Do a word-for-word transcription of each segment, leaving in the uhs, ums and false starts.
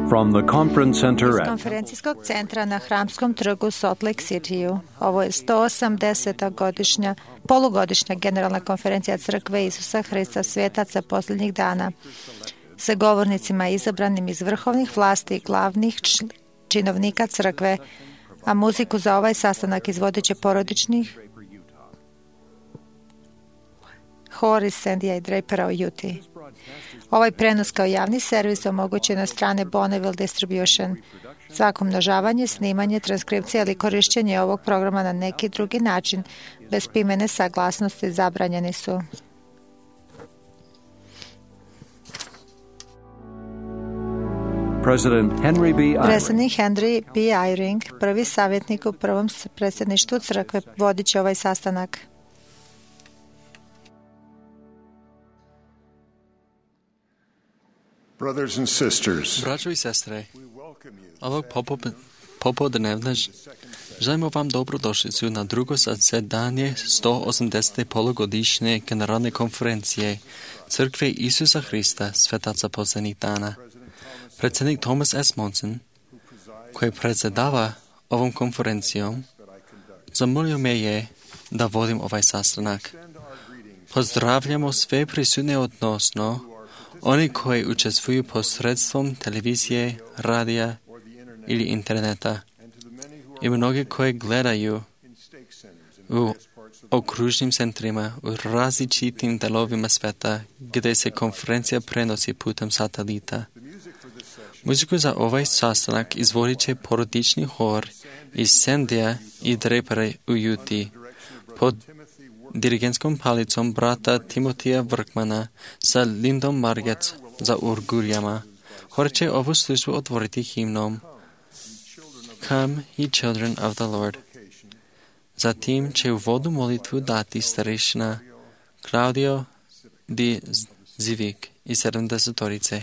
From the conference center Iz at konferencijskog centra na Hramskom trgu Salt Lake City-u. Ovo je sto osamdeseta godišnja, polugodišnja generalna konferencija Crkve Isusa Hrista svetaca posljednjih dana sa govornicima izabranim iz vrhovnih vlasti i glavnih činovnika Crkve, a muziku za ovaj sastanak izvodit će porodičnih hor iz Sandija i Drapera u Utah. Ovaj prenos kao javni servis omogućen na strane Bonneville Distribution. Svako množavanje, snimanje, transkripcija ili korišćenje ovog programa na neki drugi način bez pismene saglasnosti zabranjeni su. President Henry B. Eyring. Predsjednik Henry B. Eyring, prvi savjetnik u prvom predsjedništvu Crkve, vodit će ovaj sastanak. Brothers and sisters, Braćo i sestre, ovog popodnevna želimo vam dobrodošlicu na drugo zasedanje sto osamdesete polugodišnje generalne konferencije Crkve Isusa Hrista svetaca posljednjih dana. Predsjednik Thomas S. Monson, koji predsjedava ovom konferencijom, zamolio me je da vodim ovaj sastanak. Pozdravljamo sve prisutne odnosno oni koji učestvuju posredstvom televizije, radija ili interneta i mnogi koji gledaju u okružnim centrima u različitim delovima sveta gdje se konferencija prenosi putem satelita. Muziku za ovaj sastanak izvodit će porodični hor iz Sandija i Drapera u Utah pod dirigentskom palicom brata Timotija Vrkmana sa Lindom Margetts za orguljama. Hor će ovu službu otvoriti himnom Come, ye children of the Lord. Zatim će u vodu molitvu dati starešina Claudio Di Zivik i sedamdesetorice.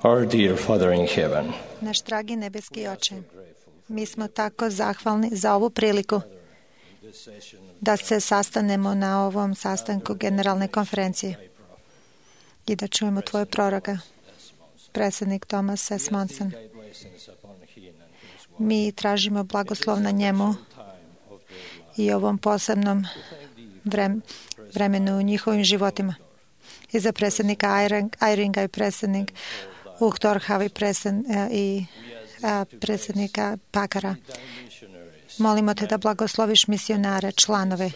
Our dear Father in heaven, Naš dragi nebeski Oče, mi smo tako zahvalni za ovu priliku da se sastanemo na ovom sastanku Generalne konferencije i da čujemo Tvoje proroka, predsjednik Thomas S. Monson. Mi tražimo blagoslov na njemu i ovom posebnom vremenu u njihovim životima. I za predsjednika Eyringa i predsjednik Uchtdorfa i predsjednika Pakara. Molimo Te da blagosloviš misionare, članove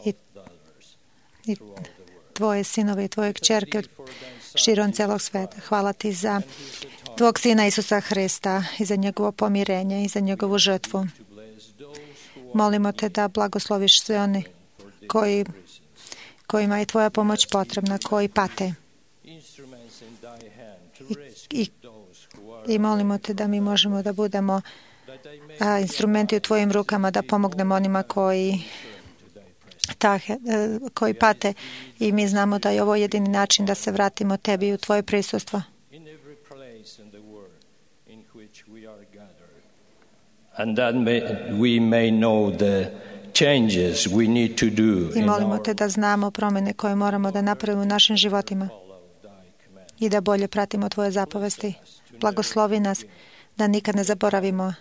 i, i Tvoje sinove i Tvoje kćerke širom celog sveta. Hvala Ti za Tvog Sina Isusa Hrista i za njegovo pomirenje i za njegovu žrtvu. Molimo Te da blagosloviš sve oni koji, kojima je Tvoja pomoć potrebna, koji pate. I, i, i molimo Te da mi možemo da budemo a, instrumenti u Tvojim rukama, da pomognemo onima koji, ta, koji pate. I mi znamo da je ovo jedini način da se vratimo Tebi u Tvoje prisustvo. And that may, we may know the changes we need to do. I molimo Te da znamo promjene koje moramo da napravimo u našim životima i da bolje pratimo Tvoje zapovesti. Blagoslovi nas da nikad ne zaboravimo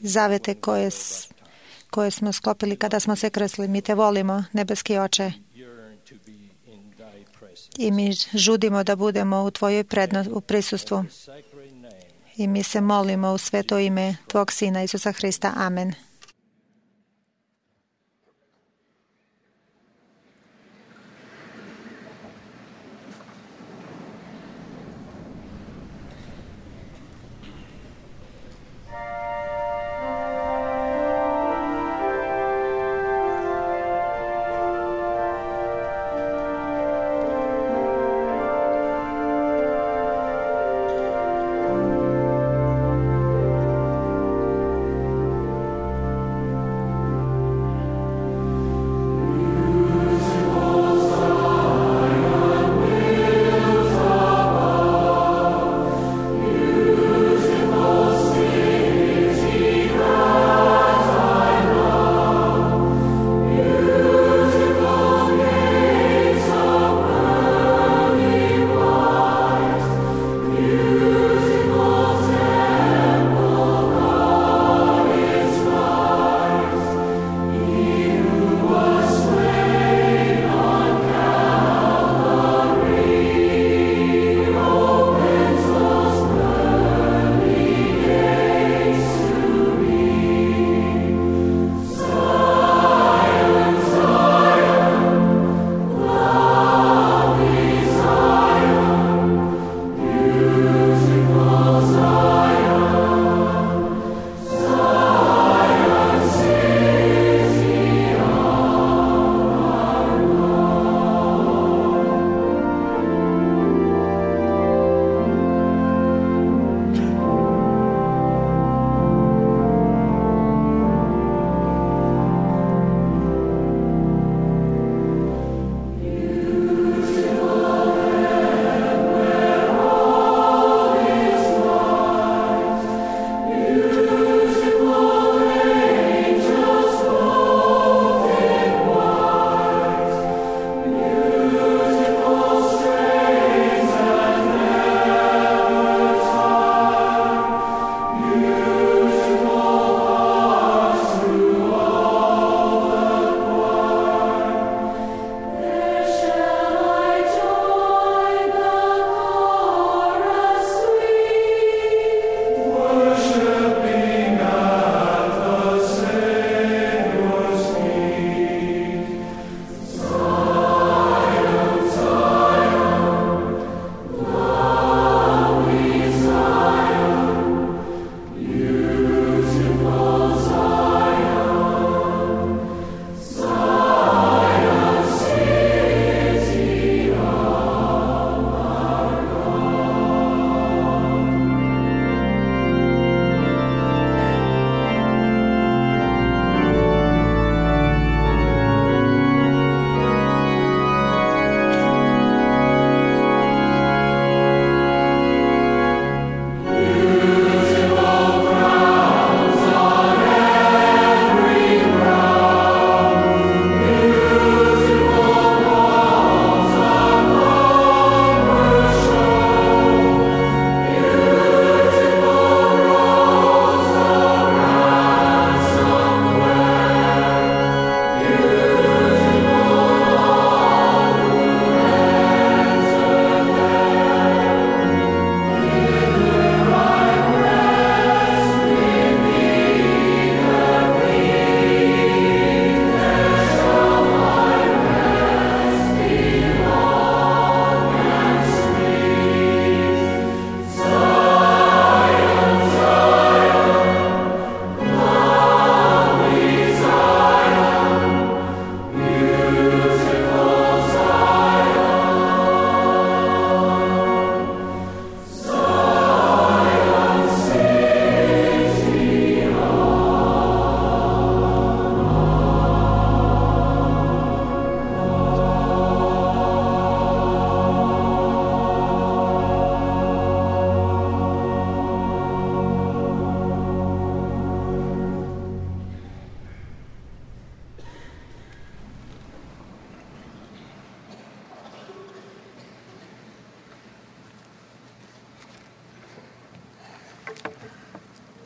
zavete koje, koje smo sklopili kada smo se krsli. Mi Te volimo, nebeski Oče, i mi žudimo da budemo u Tvojoj prednosti, u prisustvu. I mi se molimo u sveto ime Tvog Sina Isusa Hrista. Amen.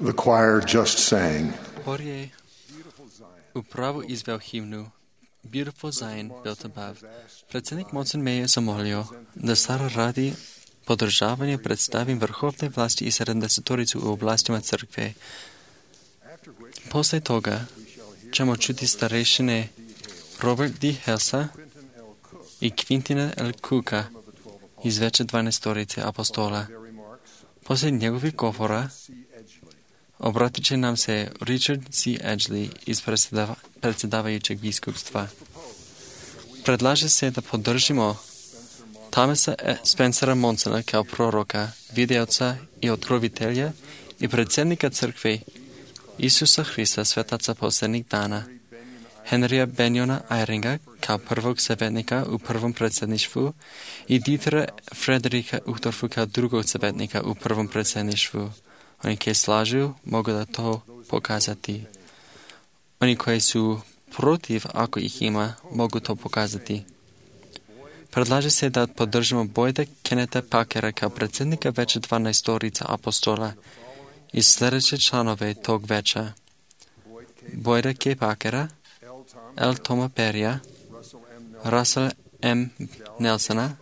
The choir just sang. Hor je upravo izveo himnu Beautiful Zion built above. Predsjednik Monson me je zamolio da Sara radi podržavanje predstavim vrhovne vlasti i sedamdesetoricu u oblastima crkve. Posle toga ćemo čuti starešine Robert D. Helsa i Quintina L. Cooka iz veće dvanaestorice apostola. Posle njegovih govora obratit će nam se Richard C. Edgley iz predsjedava, predsjedavajućeg biskupstva. Predlaže se da podržimo Thomasa Spencera Monsona kao proroka, videoca i otkrovitelja i predsjednika crkve Isusa Hrista svetaca posljednjih dana, Henrya Benjona Eyringa kao prvog savjetnika u prvom predsjedništvu i Dietera Frederika Uchtdorfa kao drugog savjetnika u prvom predsjedništvu. Oni koji slažu mogu da to pokazati. Oni koji su protiv, ako ih ima, mogu to pokazati. Predlaže se da podržimo Boyda Kenneta Packera kao predsjednika veća dvanaestorica apostola i sljedeće članove tog veća. Boyda K. Packera, L. Toma Perrya, Russell M. Nelsona,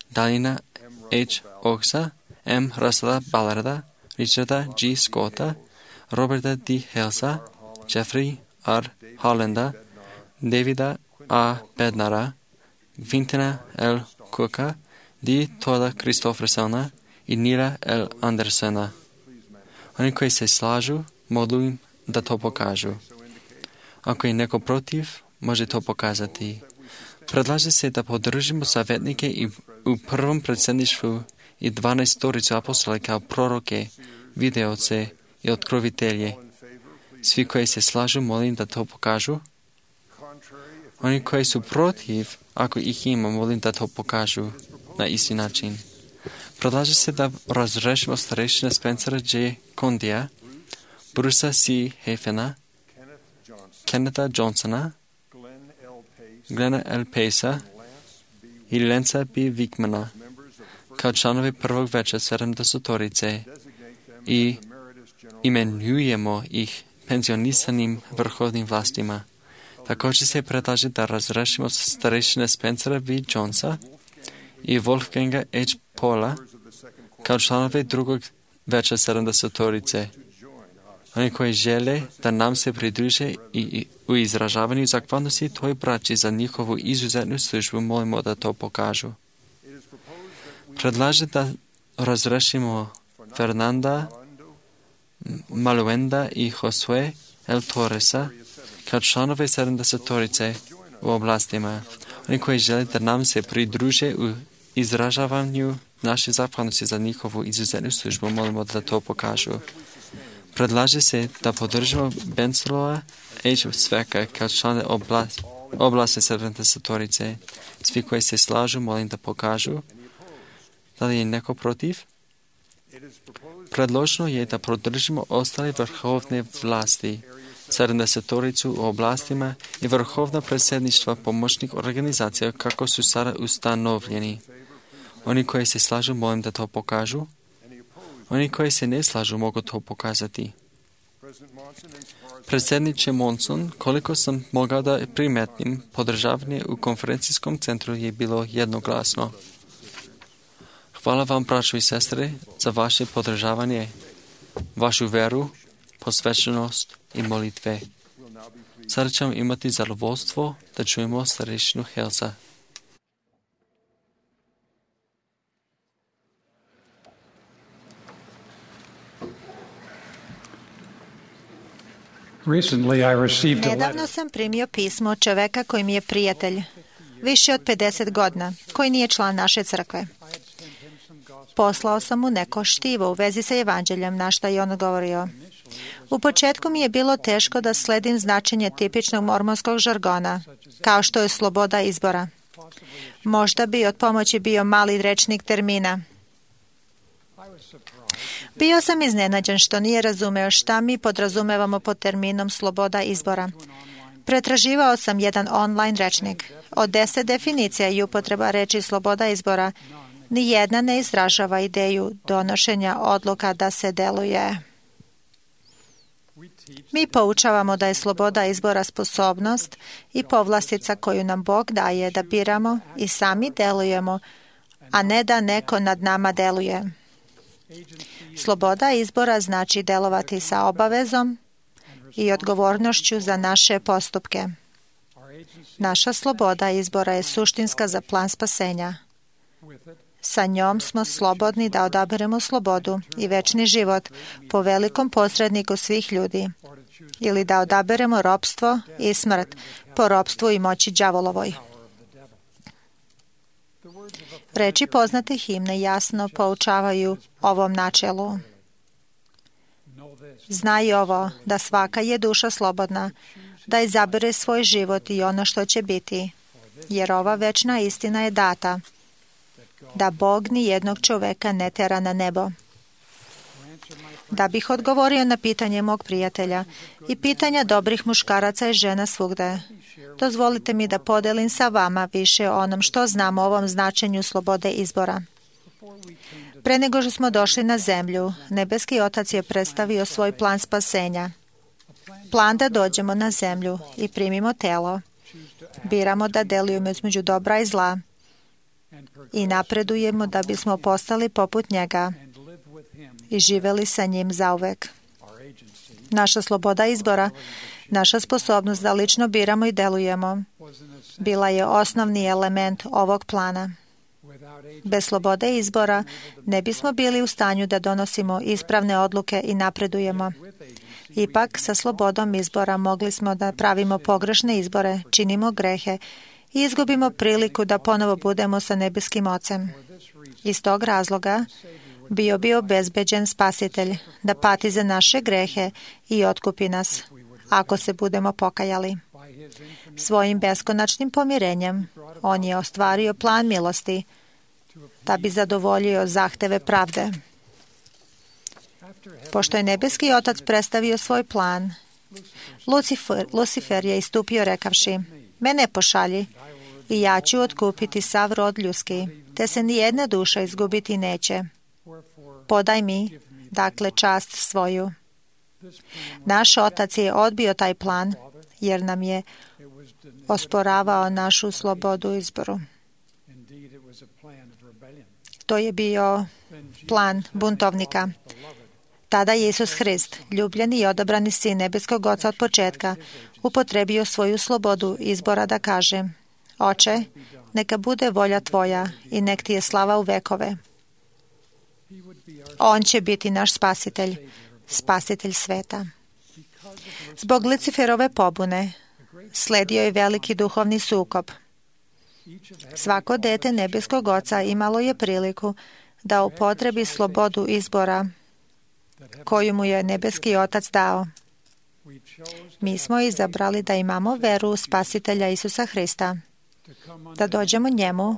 Dalina H. Oaksa, M. Russella Ballarda, Richarda G. Scotta, Roberta D. Helsa, Jeffrey R. Hollanda, Davida A. Bednara, Quintina L. Cooka, D. Toda Christoffersona i Nila L. Andersona. Oni koji se slažu, molim da to pokažu. Ako je neko protiv, može to pokazati. Predlaže se da podržimo savjetnike i u prvom predsjedništvu i dvanaestoricu apostola kao proroke, videoce i otkrovitelje. Svi koji se slažu, molim da to pokažu. Oni koji su protiv, ako ih ima, molim da to pokažu na isti način. Predlaže se da razrešimo starešina Spencera J. Condija, Brusa C. Hafena, Kenneta Johnsona, Glena L. Pacea i Lenca B. Wickmana kao članovi prvog veća sedamdesetorice i imenujemo ih penzionisanim vrhovnim vlastima. Također se predlaže da razrešimo starešine Spencera V. Jonesa i Wolfganga H. Paula kao članovi drugog veća sedamdesetorice. Oni koji žele da nam se pridruže i u izražavanju zahvalnosti toj braći za njihovu izuzetnu službu, molimo da to pokažu. Predlaže da razrešimo Fernanda Maluenda i Josue L. Torresa kao članove sedamdesetorice u oblastima. Oni koji žele da nam se pridruže u izražavanju naše zahvalnosti za njihovu izuzetnu službu, molimo da to pokažu. Predlaže se da podržimo Bencelova H. Sveka kao člane oblasti, oblasti sedamdesetorice. Svi koji se slažu, molim da pokažu. Da li je neko protiv? Predloženo je da podržimo ostale vrhovne vlasti, sedamdesetoricu u oblastima i vrhovna predsjedništva pomoćnih organizacija kako su sada ustanovljeni. Oni koji se slažu, molim da to pokažu. Oni koji se ne slažu, mogu to pokazati. Predsjedniče Monson, koliko sam mogao da primetim, podržavanje u konferencijskom centru je bilo jednoglasno. Hvala vam, braćo i sestre, za vaše podržavanje, vašu veru, posvećenost i molitve. Sada ćemo imati zadovoljstvo da čujemo starešinu Helsa. Nedavno sam primio pismo od čoveka koji mi je prijatelj, više od pedeset godina, koji nije član naše crkve. Poslao sam mu neko štivo u vezi sa evanđeljem, na šta je on odgovorio. U početku mi je bilo teško da sledim značenje tipičnog mormonskog žargona, kao što je sloboda izbora. Možda bi od pomoći bio mali rečnik termina. Bio sam iznenađen što nije razumeo šta mi podrazumevamo pod terminom sloboda izbora. Pretraživao sam jedan online rečnik. Od deset definicija i upotreba reči sloboda izbora, nijedna ne izražava ideju donošenja odluka da se deluje. Mi poučavamo da je sloboda izbora sposobnost i povlastica koju nam Bog daje da biramo i sami delujemo, a ne da neko nad nama deluje. Sloboda izbora znači delovati sa obavezom i odgovornošću za naše postupke. Naša sloboda izbora je suštinska za plan spasenja. Sa njom smo slobodni da odaberemo slobodu i večni život po velikom posredniku svih ljudi, ili da odaberemo ropstvo i smrt po ropstvu i moći đavolovoj. Reči poznate himne jasno poučavaju ovom načelu. Znaj ovo, da svaka je duša slobodna, da izabere svoj život i ono što će biti, jer ova večna istina je data, da Bog ni jednog čoveka ne tera na nebo. Da bih odgovorio na pitanje mog prijatelja i pitanja dobrih muškaraca i žena svugde, dozvolite mi da podelim sa vama više o onom što znam o ovom značenju slobode izbora. Pre nego što smo došli na zemlju, nebeski Otac je predstavio svoj plan spasenja. Plan da dođemo na zemlju i primimo telo. Biramo da delujemo između dobra i zla i napredujemo da bismo postali poput njega i živeli sa njim zauvek. Naša sloboda izbora, naša sposobnost da lično biramo i delujemo, bila je osnovni element ovog plana. Bez slobode izbora ne bismo bili u stanju da donosimo ispravne odluke i napredujemo. Ipak, sa slobodom izbora mogli smo da pravimo pogrešne izbore, činimo grehe i izgubimo priliku da ponovo budemo sa nebeskim Ocem. Iz tog razloga bio bi obezbeđen Spasitelj da pati za naše grehe i otkupi nas, ako se budemo pokajali. Svojim beskonačnim pomirenjem on je ostvario plan milosti da bi zadovoljio zahteve pravde. Pošto je nebeski Otac predstavio svoj plan, Lucifer, Lucifer je istupio rekavši: mene pošalji i ja ću otkupiti sav rod ljudski, te se ni jedna duša izgubiti neće. Podaj mi, dakle, čast svoju. Naš Otac je odbio taj plan, jer nam je osporavao našu slobodu izboru. To je bio plan buntovnika. Tada je Isus Hrist, ljubljeni i odabrani sin nebeskog Oca od početka, upotrebio svoju slobodu izbora da kaže: Oče, neka bude volja tvoja i nek ti je slava u vekove. On će biti naš spasitelj, spasitelj sveta. Zbog Luciferove pobune sledio je veliki duhovni sukob. Svako dete nebeskog Oca imalo je priliku da upotrebi slobodu izbora koju mu je nebeski Otac dao. Mi smo izabrali da imamo veru u Spasitelja Isusa Hrista, da dođemo njemu,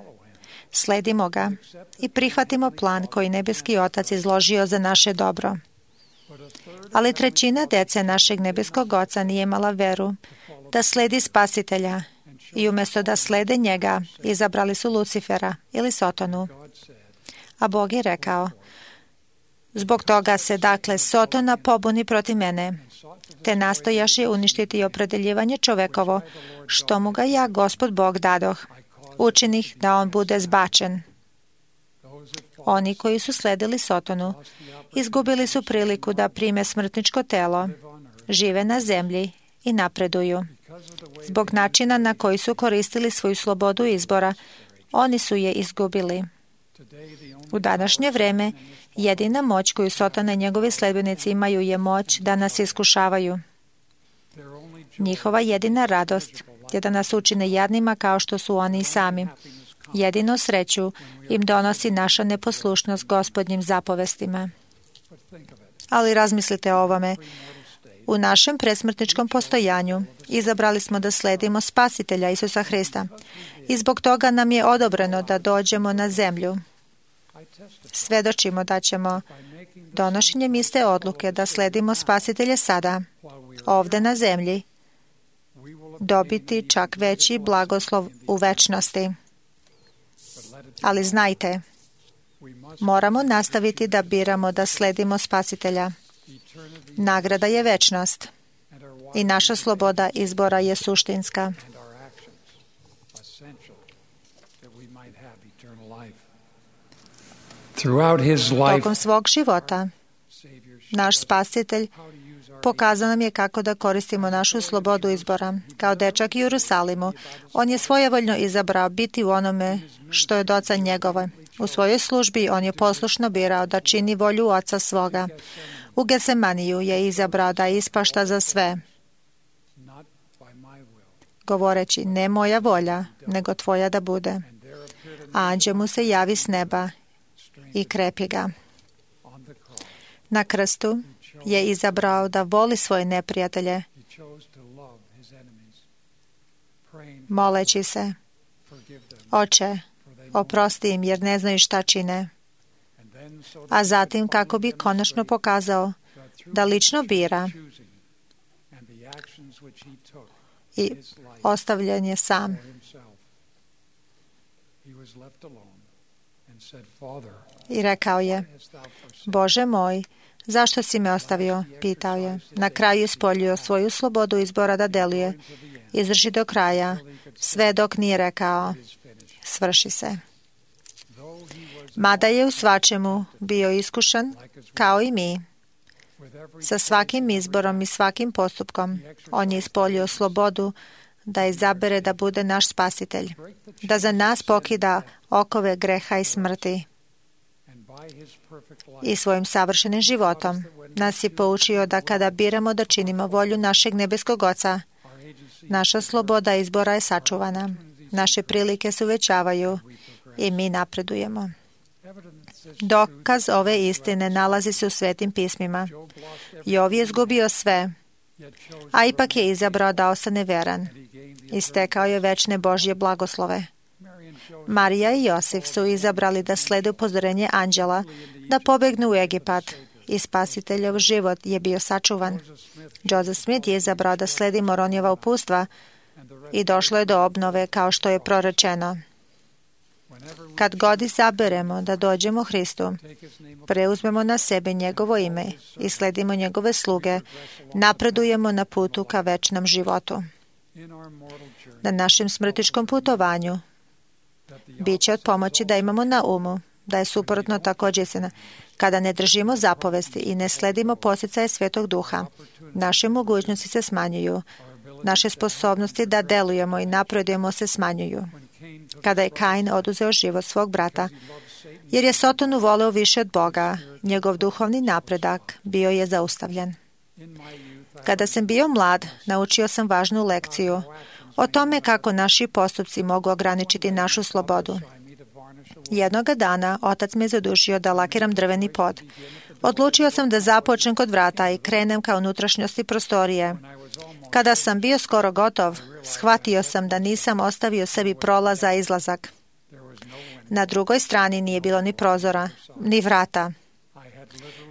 sledimo ga i prihvatimo plan koji nebeski Otac izložio za naše dobro. Ali trećina dece našeg nebeskog Oca nije imala veru da sledi Spasitelja i umjesto da slede njega, izabrali su Lucifera ili Sotonu. A Bog je rekao: zbog toga se, dakle, Sotona pobuni protiv mene, te nastojaše uništiti opredeljivanje čovekovo, što mu ga ja, Gospod Bog, dadoh, učinih da on bude zbačen. Oni koji su sledili Sotonu, izgubili su priliku da prime smrtničko telo, žive na zemlji i napreduju. Zbog načina na koji su koristili svoju slobodu izbora, oni su je izgubili. U današnje vreme, jedina moć koju Sotona i njegovi sledbenici imaju je moć da nas iskušavaju. Njihova jedina radost je da nas učine jadnima kao što su oni i sami. Jedino sreću im donosi naša neposlušnost Gospodnjim zapovestima. Ali razmislite o ovome. U našem presmrtničkom postojanju izabrali smo da sledimo Spasitelja Isusa Hrista i zbog toga nam je odobreno da dođemo na zemlju. Svedočimo da ćemo donošenjem iste odluke da sledimo Spasitelje sada, ovde na zemlji, dobiti čak veći blagoslov u večnosti. Ali znajte, moramo nastaviti da biramo da sledimo Spasitelja. Nagrada je večnost. I naša sloboda izbora je suštinska. Tokom svog života, naš Spasitelj pokazao nam je kako da koristimo našu slobodu izbora. Kao dečak u Jerusalimu, on je svojevoljno izabrao biti u onome što je od Oca njegove. U svojoj službi on je poslušno birao da čini volju Oca svoga. U Getsemaniju je izabrao da ispašta za sve, govoreći, ne moja volja, nego tvoja da bude. A anđeo mu se javi s neba i krepi ga. Na krstu je izabrao da voli svoje neprijatelje, moleći se, Oče, oprosti im jer ne znaju šta čine. A zatim kako bi konačno pokazao da lično bira i ostavljen je sam. I rekao je, Bože moj, zašto si me ostavio? Pitao je. Na kraju je ispoljio svoju slobodu izbora da deluje. Izdrži do kraja, sve dok nije rekao, svrši se. Mada je u svačemu bio iskušan, kao i mi, sa svakim izborom i svakim postupkom, on je ispoljio slobodu da izabere da bude naš Spasitelj, da za nas pokida okove greha i smrti. I svojim savršenim životom nas je poučio da kada biramo da činimo volju našeg nebeskog Oca, naša sloboda izbora je sačuvana, naše prilike se uvećavaju i mi napredujemo. Dokaz ove istine nalazi se u Svetim pismima. Jov je izgubio sve, a ipak je izabrao da ostane veran i stekao je večne Božje blagoslove. Marija i Josif su izabrali da slede upozorenje anđela, da pobegnu u Egipat i Spasiteljov život je bio sačuvan. Joseph Smith je izabrao da sledi Moronijeva upustva i došlo je do obnove kao što je prorečeno. Kad god izaberemo da dođemo Hristu, preuzmemo na sebe njegovo ime i sledimo njegove sluge, napredujemo na putu ka večnom životu. Na našem smrtičkom putovanju bit će od pomoći da imamo na umu da je suprotno također istina. Kada ne držimo zapovesti i ne sledimo posjecaje Svetog Duha, naše mogućnosti se smanjuju, naše sposobnosti da delujemo i napredujemo se smanjuju. Kada je Kain oduzeo život svog brata, jer je Sotonu voleo više od Boga, njegov duhovni napredak bio je zaustavljen. Kada sam bio mlad, naučio sam važnu lekciju o tome kako naši postupci mogu ograničiti našu slobodu. Jednoga dana otac me zadužio da lakiram drveni pod. Odlučio sam da započnem kod vrata i krenem ka unutrašnjosti prostorije. Kada sam bio skoro gotov, shvatio sam da nisam ostavio sebi prolaz za izlazak. Na drugoj strani nije bilo ni prozora, ni vrata.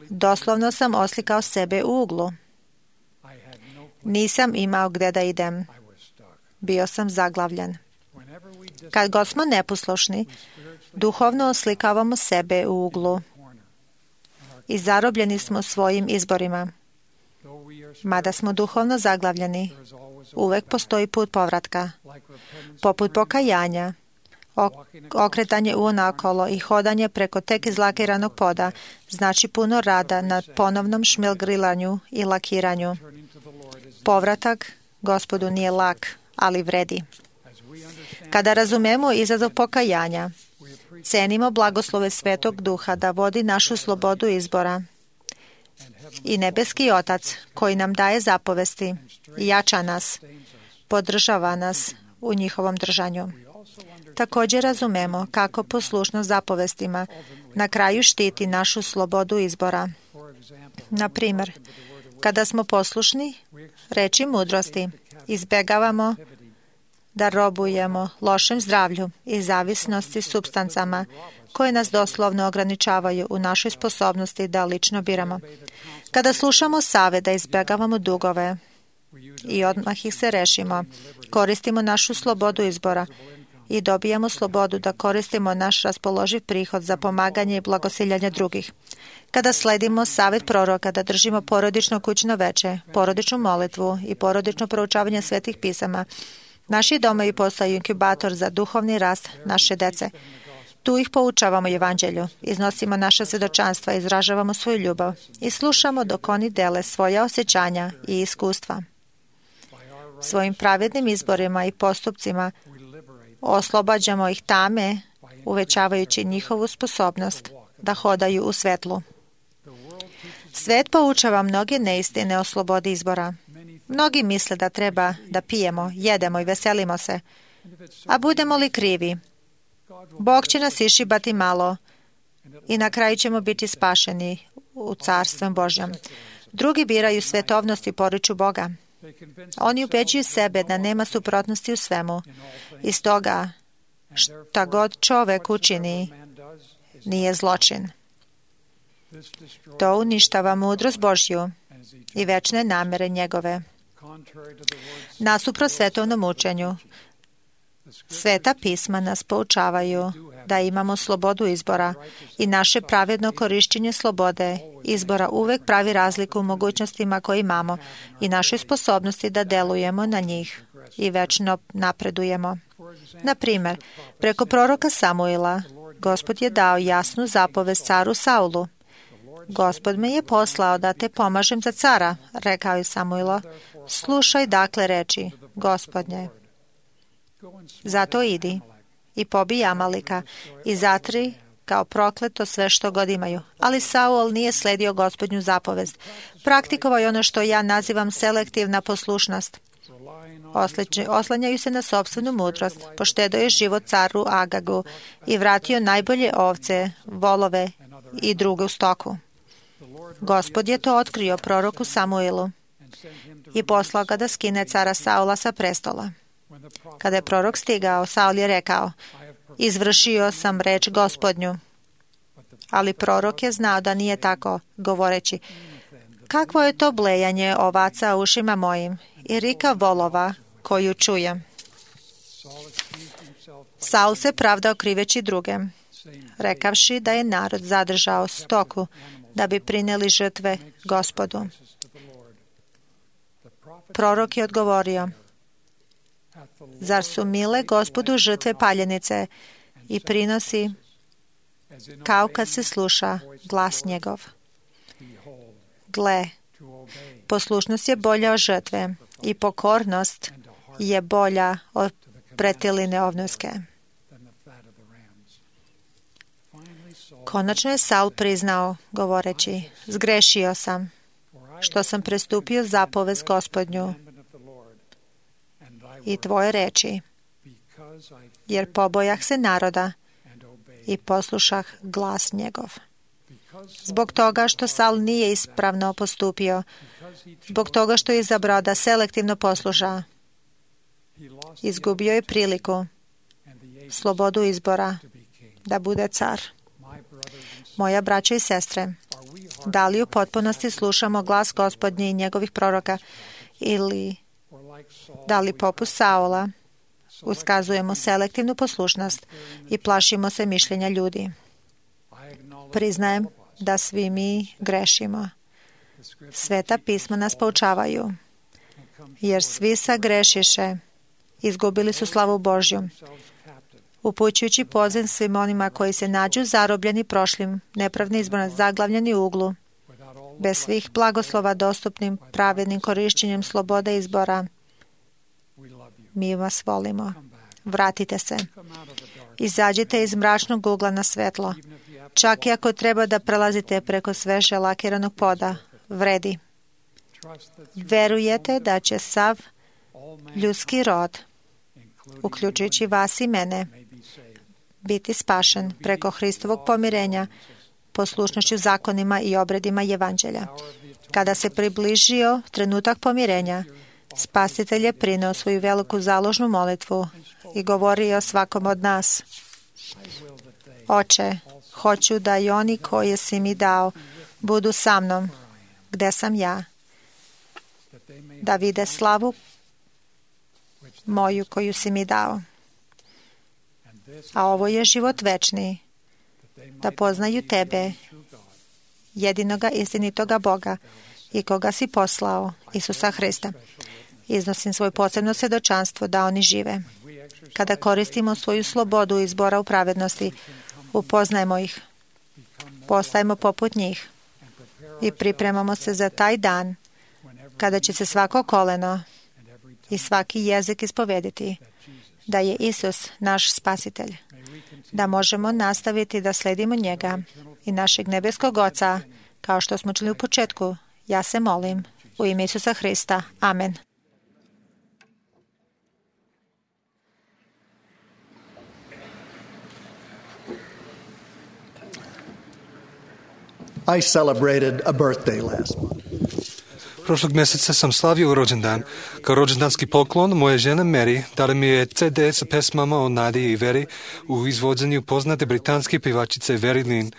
Doslovno sam oslikao sebe u uglu. Nisam imao gde da idem. Bio sam zaglavljen. Kad god smo neposlušni, duhovno oslikavamo sebe u uglu i zarobljeni smo svojim izborima. Mada smo duhovno zaglavljeni, uvek postoji put povratka. Poput pokajanja, okretanje unaokolo i hodanje preko tek izlakiranog poda znači puno rada na ponovnom šmilgrilanju i lakiranju. Povratak Gospodu nije lak, ali vredi. Kada razumemo izazov pokajanja, cenimo blagoslove Svetog Duha da vodi našu slobodu izbora. I nebeski Otac, koji nam daje zapovesti, jača nas, podržava nas u njihovom držanju. Također razumemo kako poslušnost zapovestima na kraju štiti našu slobodu izbora. Na primjer, kada smo poslušni reči mudrosti, izbegavamo da robujemo lošem zdravlju i zavisnosti supstancama koje nas doslovno ograničavaju u našoj sposobnosti da lično biramo. Kada slušamo savjet da izbegavamo dugove i odmah ih se rešimo, koristimo našu slobodu izbora i dobijamo slobodu da koristimo naš raspoloživ prihod za pomaganje i blagosiljanje drugih. Kada sledimo savjet proroka da držimo porodično kućno veče, porodičnu molitvu i porodično proučavanje svetih pisama, naši domovi postaju inkubator za duhovni rast naše dece. Tu ih poučavamo evanđelju, iznosimo naša svjedočanstva, izražavamo svoju ljubav i slušamo dok oni dele svoja osjećanja i iskustva. Svojim pravednim izborima i postupcima oslobađamo ih tame, uvećavajući njihovu sposobnost da hodaju u svetlu. Svet poučava mnoge neistine o slobodi izbora. Mnogi misle da treba da pijemo, jedemo i veselimo se. A budemo li krivi? Bog će nas išibati malo i na kraju ćemo biti spašeni u Carstvom Božjem. Drugi biraju svetovnost i poriču Boga. Oni ubeđuju sebe da nema suprotnosti u svemu i stoga šta god čovek učini nije zločin. To uništava mudrost Božju i večne namere njegove. Nasuprot svetovnom učenju, Sveta pisma nas poučavaju da imamo slobodu izbora i naše pravedno korišćenje slobode izbora uvek pravi razliku u mogućnostima koje imamo i našoj sposobnosti da delujemo na njih i večno napredujemo. Na primjer, preko proroka Samuila, Gospod je dao jasnu zapovest caru Saulu. Gospod me je poslao da te pomažem za cara, rekao je Samuilo. Slušaj dakle reči, Gospodnje. Zato idi i pobij Amalika i zatri kao prokleto sve što god imaju. Ali Saul nije sledio Gospodnju zapovest. Praktikovao je ono što ja nazivam selektivna poslušnost. Oslanjaju se na sopstvenu mudrost, poštedao je život caru Agagu i vratio najbolje ovce, volove i drugu stoku. Gospod je to otkrio proroku Samuilu i poslao ga da skine cara Saula sa prestola. Kada je prorok stigao, Saul je rekao, izvršio sam reč Gospodnju. Ali prorok je znao da nije tako, govoreći, kakvo je to blejanje ovaca u ušima mojim i rika volova koju čujem. Saul se pravdao kriveći druge, rekavši da je narod zadržao stoku da bi prineli žrtve Gospodu. Prorok je odgovorio, zar su mile Gospodu žrtve paljenice i prinosi kao kad se sluša glas njegov? Gle, poslušnost je bolja od žrtve i pokornost je bolja od pretiline ovnuske. Konačno je Saul priznao, govoreći, zgrešio sam, što sam prestupio zapovest Gospodnju i tvoje reči, jer pobojah se naroda i poslušah glas njegov. Zbog toga što Saul nije ispravno postupio, zbog toga što je izabrao da selektivno posluša, izgubio je priliku, slobodu izbora, da bude car. Moja braća i sestre, da li u potpunosti slušamo glas Gospodnji i njegovih proroka ili da li poput Saula uskazujemo selektivnu poslušnost i plašimo se mišljenja ljudi? Priznajem da svi mi grešimo. Sveta pisma nas poučavaju, jer svi sagrešiše, izgubili su slavu Božju. Upućujući poziv svim onima koji se nađu zarobljeni prošlim, nepravni izborno zaglavljeni u uglu, bez svih blagoslova dostupnim pravednim korišćenjem slobode izbora, mi vas volimo. Vratite se. Izađite iz mračnog ugla na svetlo. Čak i ako treba da prelazite preko sveže lakiranog poda, vredi. Verujete da će sav ljudski rod, uključujući vas i mene, biti spašen preko Hristovog pomirenja, poslušnošću zakonima i obredima evanđelja. Kada se približio trenutak pomirenja, Spasitelj je prineo svoju veliku založnu molitvu i govorio svakom od nas, Oče, hoću da i oni koje si mi dao budu sa mnom, gde sam ja, da vide slavu moju koju si mi dao. a ovo je život večni, da poznaju tebe, jedinoga istinitoga Boga i koga si poslao, Isusa Hrista. Iznosim svoje posebno svjedočanstvo da oni žive. Kada koristimo svoju slobodu izbora u pravednosti, upoznajemo ih, postajemo poput njih i pripremamo se za taj dan kada će se svako koleno i svaki jezik ispovediti da je Isus naš spasitelj, da možemo nastaviti da sledimo njega i našeg nebeskog Oca, kao što smo čuli u početku. Ja se molim u ime Isusa Hrista. Amen. I celebrated a birthday last month. Prošlog mjeseca sam slavio rođendan. Kao rođendanski poklon moja žena Mary dala mi je ce de sa pesmama o nadi i veri u izvođenju poznate britanske pevačice Very Lynn,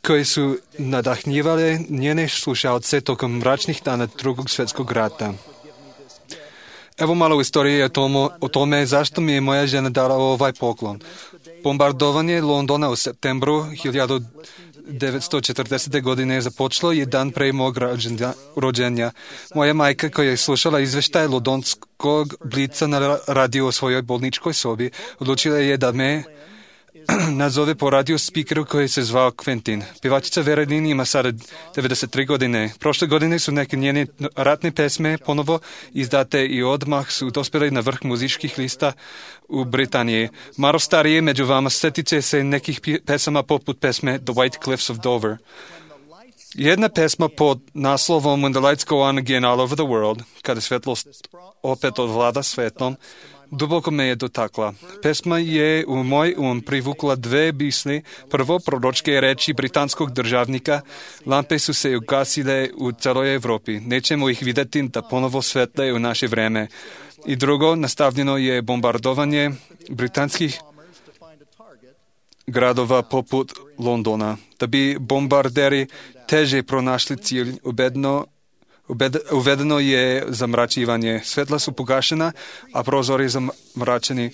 koje su nadahnjivale njene slušalce tokom mračnih dana drugog svjetskog rata. Evo malo istorije o, tomo, o tome zašto mi je moja žena dala ovaj poklon. Bombardovanje Londona u septembru hiljadu devetsto četrdesete godine započelo je dan pre mog rođenja. Moja majka, koja je slušala izveštaj londonskog blica na radio o svojoj bolničkoj sobi, odlučila je da me nazove po radio speakeru koji se zvao Quentin. Pevačica Very Lynn ima sada devedeset tri godine. Prošle godine su neke njene ratne pesme ponovo izdate i odmah su dospjeli na vrh muzičkih lista u Britaniji. Malo starije među vama setiće se nekih pesama poput pesme The White Cliffs of Dover. Jedna pesma pod naslovom When the lights go on again all over the world, kada svjetlost opet odvlada svetom, duboko me je dotakla. Pesma je u moj um privukla dve misli. Prvo, proročke reči britanskog državnika, lampe su se ugasile u celoj Evropi. Nećemo ih vidjeti da ponovo svetle u naše vreme. I drugo, nastavljeno je bombardovanje britanskih gradova poput Londona. Da bi bombarderi teže pronašli cilj, ubedno uvedeno je zamračivanje. Svetla su pogašena, a prozori zamračeni.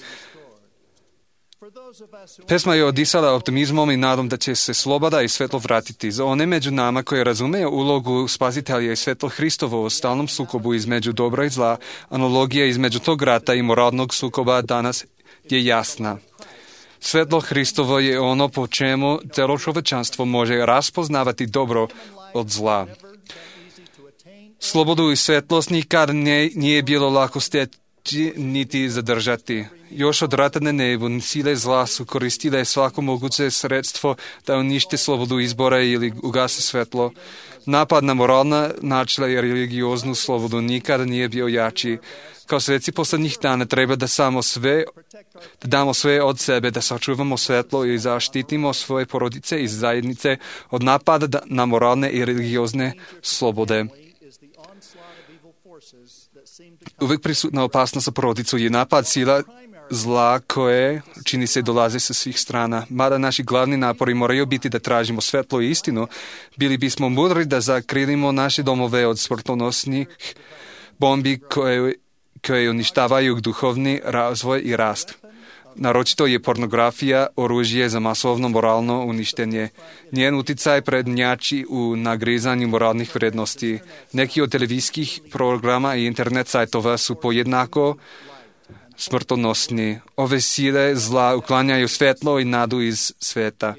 Pesma je odisala optimizmom i nadom da će se sloboda i svetlo vratiti. Za one među nama koji razumeju ulogu spasitelja i svetlo Hristovo u stalnom sukobu između dobra i zla, analogija između tog rata i moralnog sukoba danas je jasna. Svetlo Hristovo je ono po čemu celo čovečanstvo može raspoznavati dobro od zla. Slobodu i svetlost nikad ne, nije bilo lako steći niti zadržati. Još od rata na nebu sile zla su koristile svako moguće sredstvo da unište slobodu izbora ili ugase svetlo. Napad na moralna načela i religioznu slobodu nikada nije bio jači. Kao sveci poslednjih dana treba da samo sve, da damo sve od sebe, da sačuvamo svetlo i zaštitimo svoje porodice i zajednice od napada na moralne i religiozne slobode. Uvijek prisutna opasnost za porodicu je napad sila zla koje, čini se, dolaze sa svih strana. Mada naši glavni napori moraju biti da tražimo svetlo i istinu, bili bismo mudri da zakrilimo naše domove od smrtonosnih bombi koje, koje uništavaju duhovni razvoj i rast. Naročito je pornografija oružje za masovno moralno uništenje. Njen uticaj prednjači u nagrizanju moralnih vrednosti. Neki od televizijskih programa i internet sajtova su pojednako smrtonosni. Ove sile zla uklanjaju svetlo i nadu iz sveta.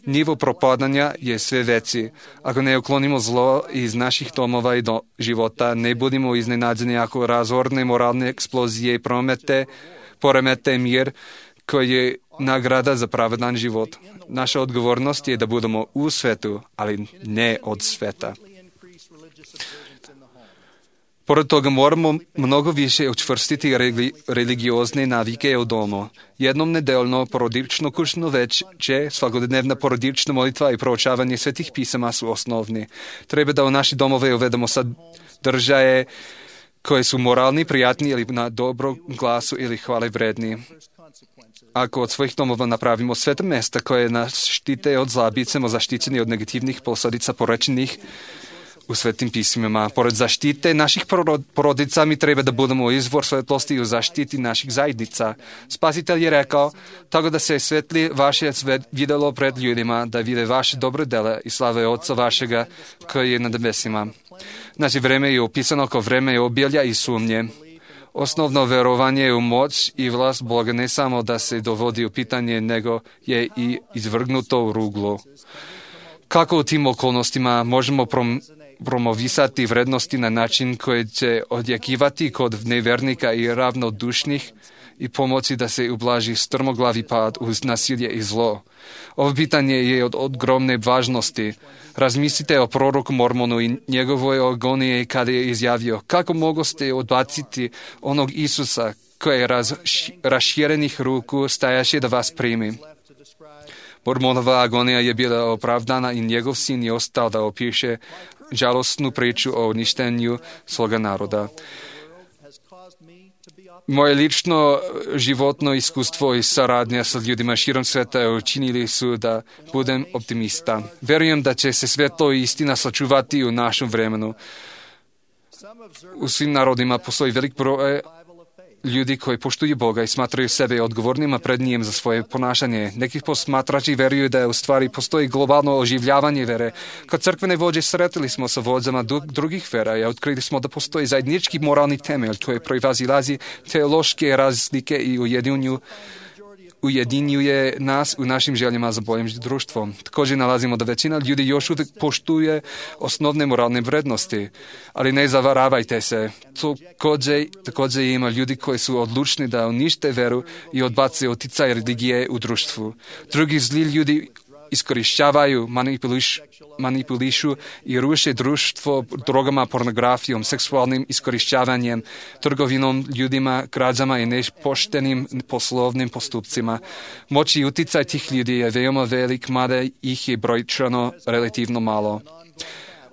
Nivo propadanja je sve veći. Ako ne uklonimo zlo iz naših domova i do života, ne budimo iznenađeni ako razorne moralne eksplozije i promete poremete mir koji je nagrada za pravedan život. Naša odgovornost je da budemo u svetu, ali ne od sveta. Pored toga moramo mnogo više učvrstiti religi- religiozne navike u domu. Jednom nedeljno porodično kućno veče, svakodnevna porodična molitva i proučavanje svetih pisama su osnovni. Treba da u naše domove uvedemo sadržaje koje su moralni, prijatni ili na dobro glasu ili hvale vredni. Ako od svojih domova napravimo sveta mesta koje nas štite od zla, bit ćemo zaštićeni od negativnih posljedica porečenih u Svetim pismima. Pored zaštite naših porodica, mi treba da budemo izvor svetlosti u zaštiti naših zajednica. Spasitelj je rekao, tako da se svetli vaše svet videlo pred ljudima, da vide vaše dobre dela i slave Otca vašega koji je na nebesima. Naše vreme je opisano kao vreme obilja i sumnje. Osnovno verovanje u moć i vlast Boga ne samo da se dovodi u pitanje, nego je i izvrgnuto u ruglo. Kako u tim okolnostima možemo prom promovisati vrednosti na način koji će odjekivati kod nevernika i ravnodušnih i pomoći da se ublaži strmoglavi pad uz nasilje i zlo? Ovo pitanje je od ogromne važnosti. Razmislite o proroku Mormonu i njegovoj agoniji kada je izjavio, kako mogu ste odbaciti onog Isusa koji je raz, raširenih ruku stajaše da vas primi. Mormonova agonija je bila opravdana i njegov sin je ostao da opiše žalostnu priču o uništenju svoga naroda. Moje lično životno iskustvo i saradnja sa ljudima širom sveta učinili su da budem optimista. Verujem da će se svetlo i istina sačuvati u našem vremenu. U svim narodima postoji velik broj ljudi koji poštuju Boga i smatraju sebe odgovornima pred njim za svoje ponašanje. Neki posmatrači veruju da u stvari postoji globalno oživljavanje vere. Kod crkvene vođe sretili smo sa vođama drugih vera i otkrili smo da postoji zajednički moralni temelj koji proizazilazi teološke razlike i ujedinju ujedinjuje nas u našim željama za boljim društvom. Također nalazimo da većina ljudi još uvijek poštuje osnovne moralne vrednosti, ali ne zavaravajte se. Također, također ima ljudi koji su odlučni da unište veru i odbace utjecaj religije u društvu. Drugi zli ljudi iskorištavaju, manipuliš, manipulišu i ruše društvo drogama, pornografijom, seksualnim iskorištavanjem, trgovinom ljudima, krađama i nepoštenim poslovnim postupcima. Moć i utjecaj tih ljudi je veoma velik, mada ih je brojčano relativno malo.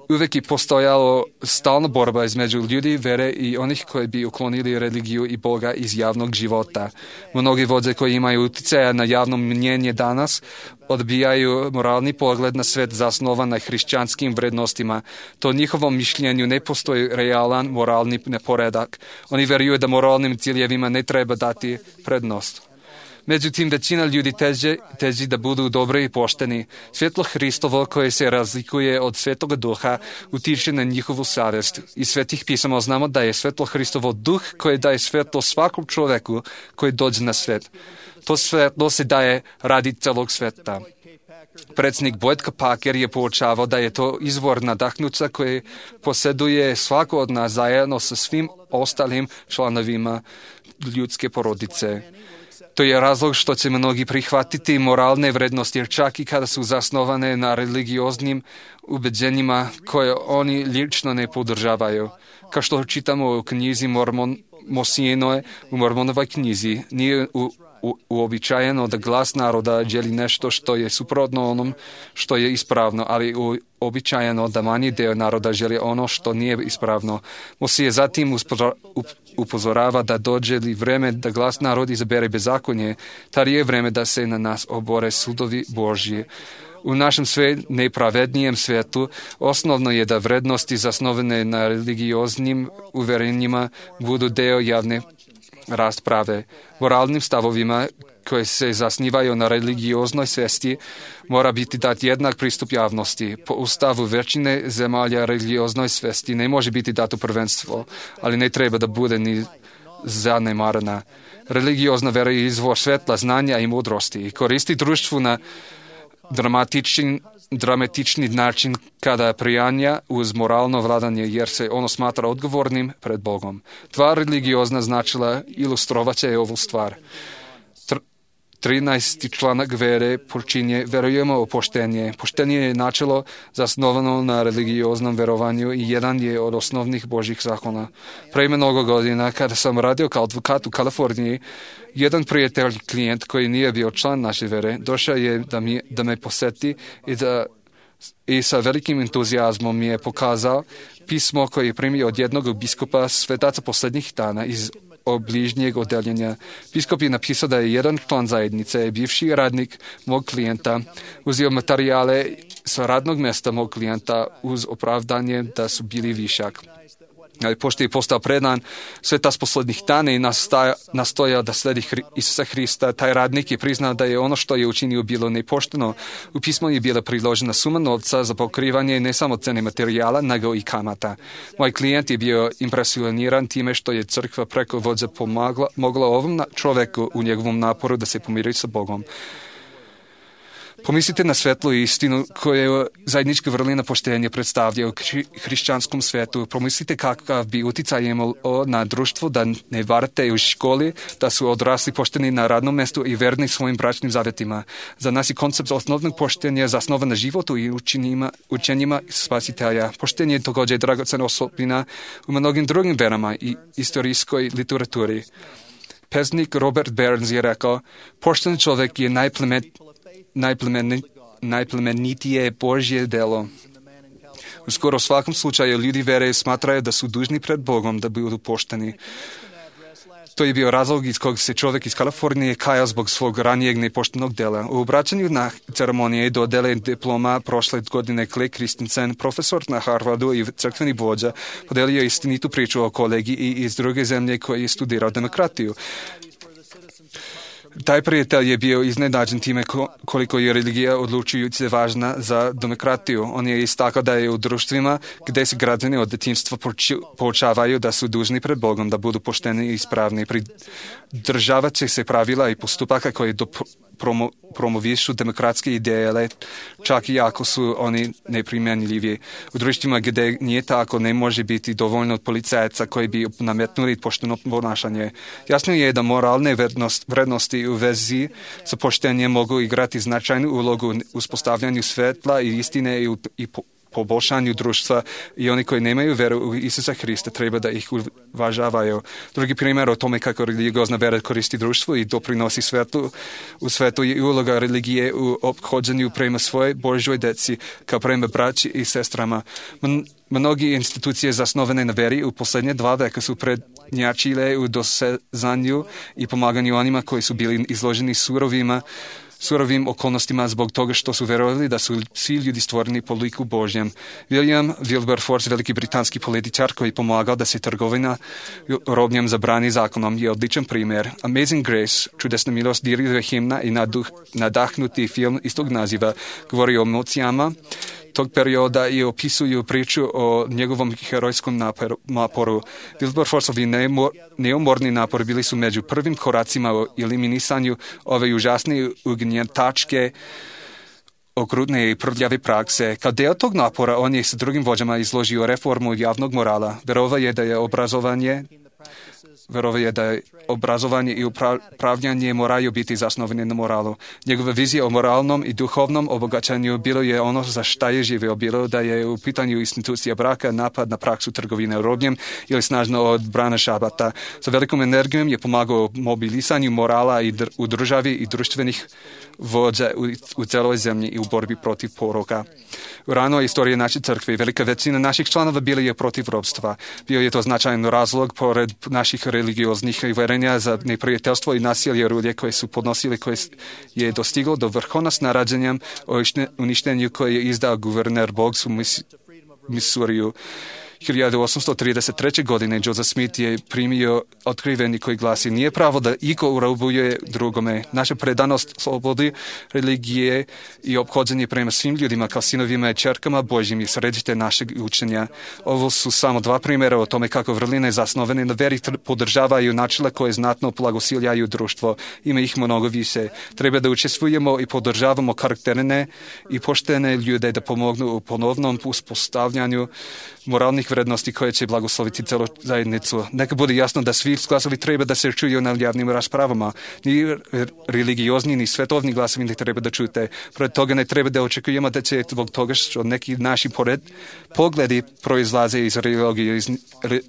Uvijek je postojalo stalna borba između ljudi vere i onih koji bi uklonili religiju i Boga iz javnog života. Mnogi vođe koji imaju utjecaja na javno mnjenje danas odbijaju moralni pogled na svet zasnovan na hrišćanskim vrednostima. To njihovom mišljenju ne postoji realan moralni neporedak. Oni vjeruju da moralnim ciljevima ne treba dati prednost. Međutim, većina ljudi teže, teži da budu dobri i pošteni. Svjetlo Hristovo koje se razlikuje od Svetoga Duha utiče na njihovu savjest. Iz Svetih pisama znamo da je Svetlo Hristovo duh koji daje svetlo svakom čovjeku koji dođe na svet. To svetlo se daje radi celog sveta. Predsjednik Boyd Packer je poučavao da je to izvor nadahnuća koji posjeduje svako od nas zajedno sa svim ostalim članovima ljudske porodice. To je razlog što će mnogi prihvatiti moralne vrednosti, jer čak i kada su zasnovane na religioznim ubeđenjima koje oni lično ne podržavaju. Kao što čitamo u knjizi Mormon, Mosijenoje, u Mormonovoj knjizi, nije u, u, uobičajeno da glas naroda želi nešto što je suprotno onom što je ispravno, ali uobičajeno da manji dio naroda želi ono što nije ispravno. Mosije zatim uspora, up, upozorava da dođe li vreme da glas narod izabere bezakonje, tada je vreme da se na nas obore sudovi Božji. U našem sve nepravednijem svijetu osnovno je da vrednosti zasnovane na religioznim uverenjima budu deo javne rasprave. Moralnim stavovima koje se zasnivaju na religioznoj svijesti mora biti dat jednak pristup javnosti. Po ustavu većine zemalja religioznoj svijesti ne može biti dato prvenstvo, ali ne treba da bude ni zanemarena. Religiozna vera je izvor svetla, znanja i mudrosti i koristi društvu na dramatični, dramatični način kada prijanja uz moralno vladanje, jer se ono smatra odgovornim pred Bogom. Dva religiozna značila ilustrovat će ovu stvar. trinaesti članak vere počinje verujemo u poštenje. Poštenje je načelo zasnovano na religioznom verovanju i jedan je od osnovnih Božjih zakona. Pre mnogo godina, kada sam radio kao advokat u Kaliforniji, jedan prijatelj, klijent koji nije bio član naše vere, došao je da, mi, da me poseti i, da, i sa velikim entuzijazmom mi je pokazao pismo koje je primio od jednog biskupa svetaca posljednjih dana iz obližnjeg odeljenja. Biskup je napisao da je jedan član zajednice, bivši radnik mog klijenta, uzeo materijale sa radnog mjesta mog klijenta uz opravdanje da su bili višak. Ali pošto je postao predan svetas poslednjih dana i nastaja, nastoja da sledi Hri, Isusa Hrista, taj radnik je priznao da je ono što je učinio bilo nepošteno. U pismu je bila priložena suma novca za pokrivanje ne samo cene materijala, nego i kamata. Moj klijent je bio impresioniran time što je crkva preko vođe pomagla, mogla ovom čoveku u njegovom naporu da se pomiri sa Bogom. Pomislite na svetlu istinu koju zajednička vrlina poštenja predstavlja u hrišćanskom svetu. Pomislite kakav bi uticaj imao na društvo da ne varate u školi, da su odrasli pošteni na radnom mjestu i verni svojim bračnim zavjetima. Za nas je koncept osnovnog poštenja zasnovan na životu i učenjima, učenjima spasitelja. Poštenje je također dragocena osobina u mnogim drugim verama i istorijskoj literaturi. Pesnik Robert Burns je rekao, pošten čovjek je najplemet Najplemeni, najplemenitije Božje delo. U skoro svakom slučaju ljudi vere smatraju da su dužni pred Bogom da budu pošteni. To je bio razlog iz kog se čovjek iz Kalifornije kajao zbog svog ranijeg nepoštenog dela. U obraćanju na ceremonije dodele diploma prošle godine Clay Christensen, profesor na Harvardu i crkveni vođa, podelio istinitu priču o kolegi i iz druge zemlje koji je studirao demokratiju. Taj prijatelj je bio iznenađen time koliko je religija odlučujuće važna za demokratiju. On je istakao da je u društvima gdje se građani od djetinjstva poučavaju da su dužni pred Bogom, da budu pošteni i ispravni. Pridržavat će se pravila i postupaka koji do promo, promovišu demokratske ideje, čak i ako su oni neprimjenljivi. U društvima gdje nije tako, ne može biti dovoljno od policajaca koji bi nametnuli pošteno ponašanje. Jasno je da moralne vrednost, vrednosti u vezi sa poštenjem mogu igrati značajnu ulogu u uspostavljanju svetla i istine i, u, i po, poboljšanju društva i oni koji nemaju veru u Isusa Hrista treba da ih uvažavaju. Drugi primjer o tome kako religiozna vera koristi društvu i doprinosi svetu u svetu je uloga religije u ophođenju prema svojoj Božjoj deci kao prema braći i sestrama. Mnogi institucije zasnovane na veri u posljednje dva veka su prednjačile u dosezanju i pomaganju onima koji su bili izloženi surovima surovim okolnostima zbog toga što su verovali da su svi ljudi stvoreni po liku Božjem. William Wilberforce, veliki britanski političar koji pomagao da se trgovina robljem zabrani zakonom, je odličan primjer. Amazing Grace, čudesna milost, dirljiva himna i naduh, nadahnuti film istog naziva govori o emocijama tog perioda i opisuju priču o njegovom herojskom naporu. Wilberforceovi neumorni napori bili su među prvim koracima u eliminisanju ove užasne ugnjetačke, okrutne i prljave prakse. Kao deo tog napora on je s drugim vođama izložio reformu javnog morala. Verovao je da je obrazovanje Verovao je da je obrazovanje i upravljanje moraju biti zasnovane na moralu. Njegova vizija o moralnom i duhovnom obogaćanju bilo je ono za šta je živeo, bilo da je u pitanju institucija braka, napad na praksu trgovine robljem ili snažno odbrana šabata. Sa velikom energijom je pomagao mobilisanju morala i dr- u državi i društvenih vođa u, u celoj zemlji i u borbi protiv poroka. U ranoj istoriji naše crkve velika većina naših članova bila je protiv robstva. Bio je to značajan razlog pored naših religioznih uverenja za neprijateljstvo i nasilje rulje koje su podnosili, koje je dostiglo do vrhuna s narađenjem o uništenju koje je izdao guverner Boggs u Missouriju. hiljadu osamsto trideset treće. godine Joseph Smith je primio otkriveni koji glasi: nije pravo da iko urobuje drugome. Naša predanost slobodi, religije i ophođenje prema svim ljudima kao sinovima i čerkama Božjim je središte našeg učenja. Ovo su samo dva primjera o tome kako vrline zasnovane na veri podržavaju načela koje znatno blagosiljaju društvo. Ima ih mnogo više. Treba da učestvujemo i podržavamo karakterne i poštene ljude da pomognu u ponovnom uspostavljanju moralnih vrednosti koje će blagosloviti celu zajednicu. Neka bude jasno da svi glasovi treba da se čuju na javnim raspravama. Ni religiozni, ni svetovni glasovi ne treba da čute. Pored toga ne treba da očekujemo da će zbog toga što neki naši pored pogledi proizlaze iz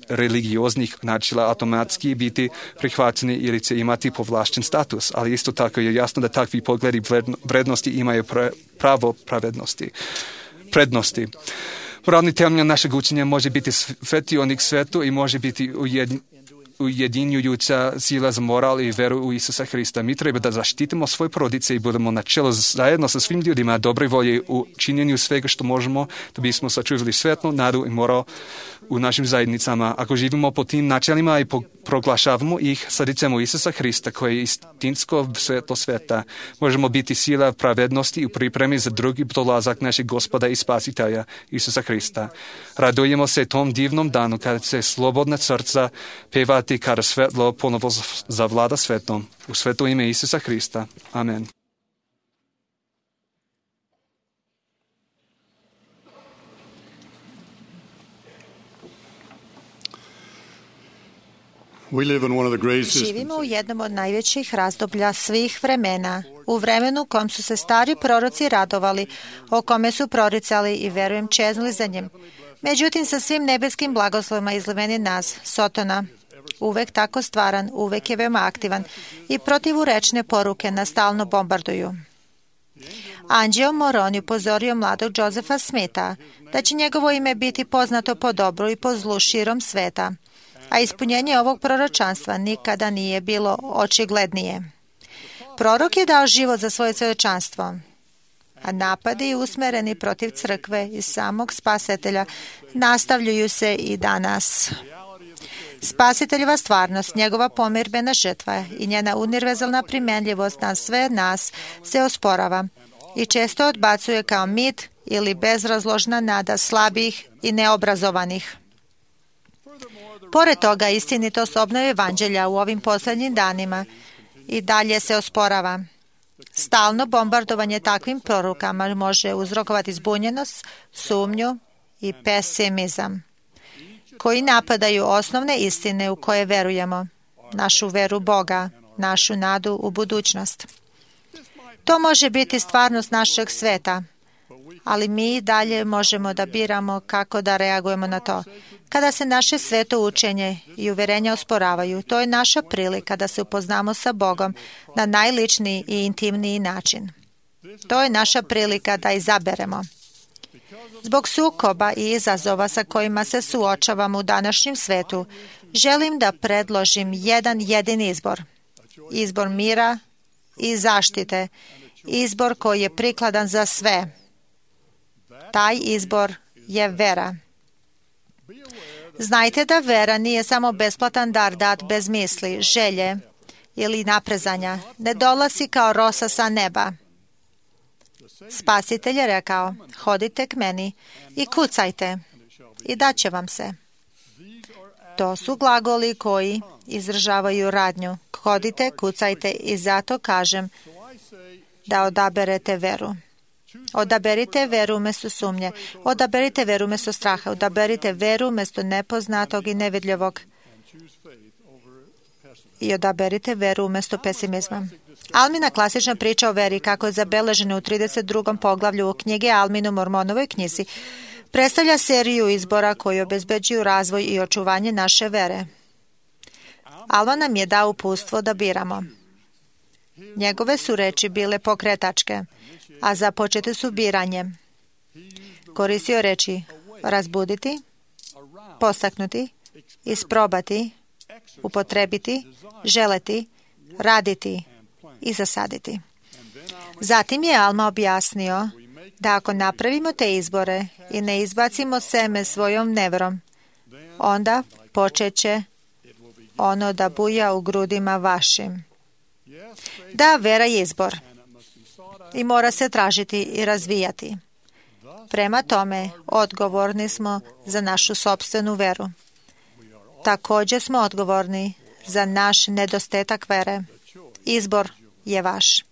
religioznih načela automatski biti prihvaćeni ili će imati povlašćen status. Ali isto tako je jasno da takvi pogledi vrednosti imaju pravo pravednosti, prednosti. Moralni temelj našeg učenja može biti svetionik svetu i može biti ujedinjujuća sila za moral i veru u Isusa Hrista. Mi treba da zaštitimo svoje porodice i budemo na čelu zajedno sa svim ljudima dobre volje u činjenju svega što možemo da bismo sačuvali svetlo, nadu i moral u našim zajednicama. Ako živimo po tim načelima i proglašavamo ih srcem u Isusa Hrista koji je istinsko svetlo sveta, možemo biti sila pravednosti u pripremi za drugi dolazak našeg Gospoda i Spasitelja Isusa Hrista. Radujemo se tom divnom danu kada se slobodna srca pevati kada svetlo ponovo zavlada svetom. U sveto ime Isusa Hrista. Amen. Živimo u jednom od najvećih razdoblja svih vremena, u vremenu u kom su se stari proroci radovali, o kome su proricali i, verujem, čeznuli za njim. Međutim, sa svim nebeskim blagoslovima izliveni nas, Sotona, uvek tako stvaran, uvek je veoma aktivan i protivurečne poruke nas stalno bombarduju. Anđeo Moroni upozorio mladog Josefa Smitha da će njegovo ime biti poznato po dobru i po zlu širom sveta, a ispunjenje ovog proročanstva nikada nije bilo očiglednije. Prorok je dao život za svoje svjedočanstvo, a napadi usmereni protiv crkve i samog Spasitelja nastavljaju se i danas. Spasiteljeva stvarnost, njegova pomirbena žrtva i njena univerzalna primjenljivost na sve nas se osporava i često odbacuje kao mit ili bezrazložna nada slabih i neobrazovanih. Pored toga, istinitost obnove evanđelja u ovim posljednjim danima i dalje se osporava. Stalno bombardovanje takvim prorokama može uzrokovati zbunjenost, sumnju i pesimizam, koji napadaju osnovne istine u koje verujemo, našu veru Boga, našu nadu u budućnost. To može biti stvarnost našeg sveta, ali mi i dalje možemo da biramo kako da reagujemo na to. Kada se naše sveto učenje i uverenja osporavaju, to je naša prilika da se upoznamo sa Bogom na najličniji i intimniji način. To je naša prilika da izaberemo. Zbog sukoba i izazova sa kojima se suočavamo u današnjem svetu, želim da predložim jedan jedini izbor. Izbor mira i zaštite. Izbor koji je prikladan za sve. Taj izbor je vera. Znajte da vera nije samo besplatan dar dat bez misli, želje ili naprezanja. Ne dolazi kao rosa sa neba. Spasitelj je rekao, hodite k meni i kucajte i daće vam se. To su glagoli koji izražavaju radnju. Hodite, kucajte i zato kažem da odaberete veru. Odaberite veru umjesto sumnje. Odaberite veru umjesto straha. Odaberite veru umjesto nepoznatog i nevidljivog. I odaberite veru umjesto pesimizma. Almina klasična priča o veri, kako je zabeležena u trideset drugom poglavlju u knjige Alminu Mormonovoj knjizi, predstavlja seriju izbora koji obezbeđuju razvoj i očuvanje naše vere. Alma nam je dao uputstvo da biramo. Njegove su reči bile pokretačke, a započete su biranjem. Koristio reči razbuditi, postaknuti, isprobati, upotrebiti, želeti, raditi i zasaditi. Zatim je Alma objasnio da ako napravimo te izbore i ne izbacimo seme svojom neverom, onda počeće ono da buja u grudima vašim. Da, vera je izbor i mora se tražiti i razvijati. Prema tome, odgovorni smo za našu sopstvenu veru. Također smo odgovorni za naš nedostatak vere. Izbor je vaš.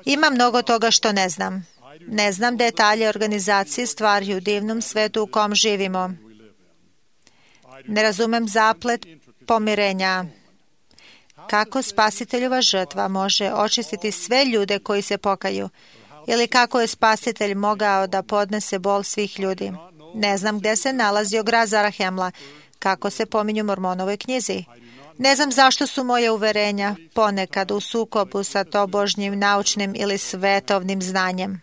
Ima mnogo toga što ne znam. Ne znam detalje organizacije stvari u divnom svetu u kom živimo. Ne razumem zaplet pomirenja. Kako spasiteljova žrtva može očistiti sve ljude koji se pokaju? Ili kako je spasitelj mogao da podnese bol svih ljudi? Ne znam gdje se nalazio grad Zarahemla, kako se pominju u Mormonovoj knjizi. Ne znam zašto su moje uverenja ponekad u sukobu sa tobožnjim naučnim ili svetovnim znanjem.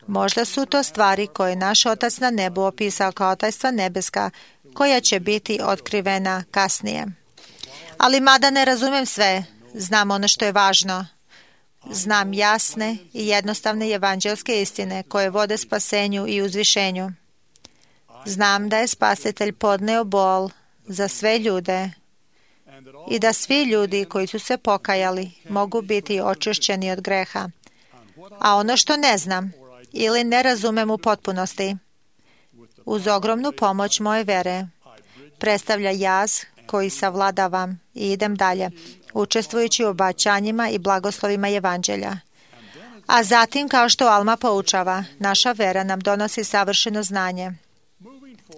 Možda su to stvari koje naš Otac na nebu opisao kao tajstva nebeska, koja će biti otkrivena kasnije. Ali mada ne razumem sve, znam ono što je važno. Znam jasne i jednostavne evanđelske istine koje vode spasenju i uzvišenju. Znam da je Spasitelj podneo bol za sve ljude i da svi ljudi koji su se pokajali mogu biti očišćeni od greha. A ono što ne znam ili ne razumem u potpunosti, uz ogromnu pomoć moje vere, predstavlja jaz koji savladavam i idem dalje, učestvujući u obećanjima i blagoslovima evanđelja. A zatim, kao što Alma poučava, naša vera nam donosi savršeno znanje.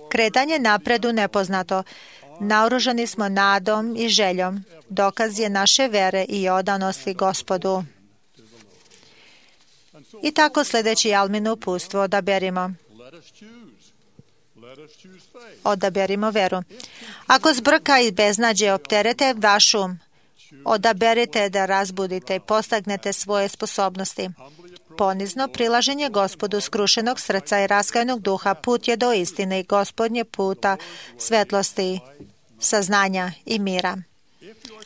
Kretanje napred u nepoznato, naoružani smo nadom i željom, dokaz je naše vere i odanosti Gospodu. I tako sljedeći Almino uputstvo odaberimo. Odaberimo veru. Ako zbrka i beznađe opterete vaš um, odaberite da razbudite i postagnete svoje sposobnosti. Ponizno prilaženje Gospodu skrušenog srca i raskajanog duha put je do istine i Gospodnje puta svetlosti, saznanja i mira.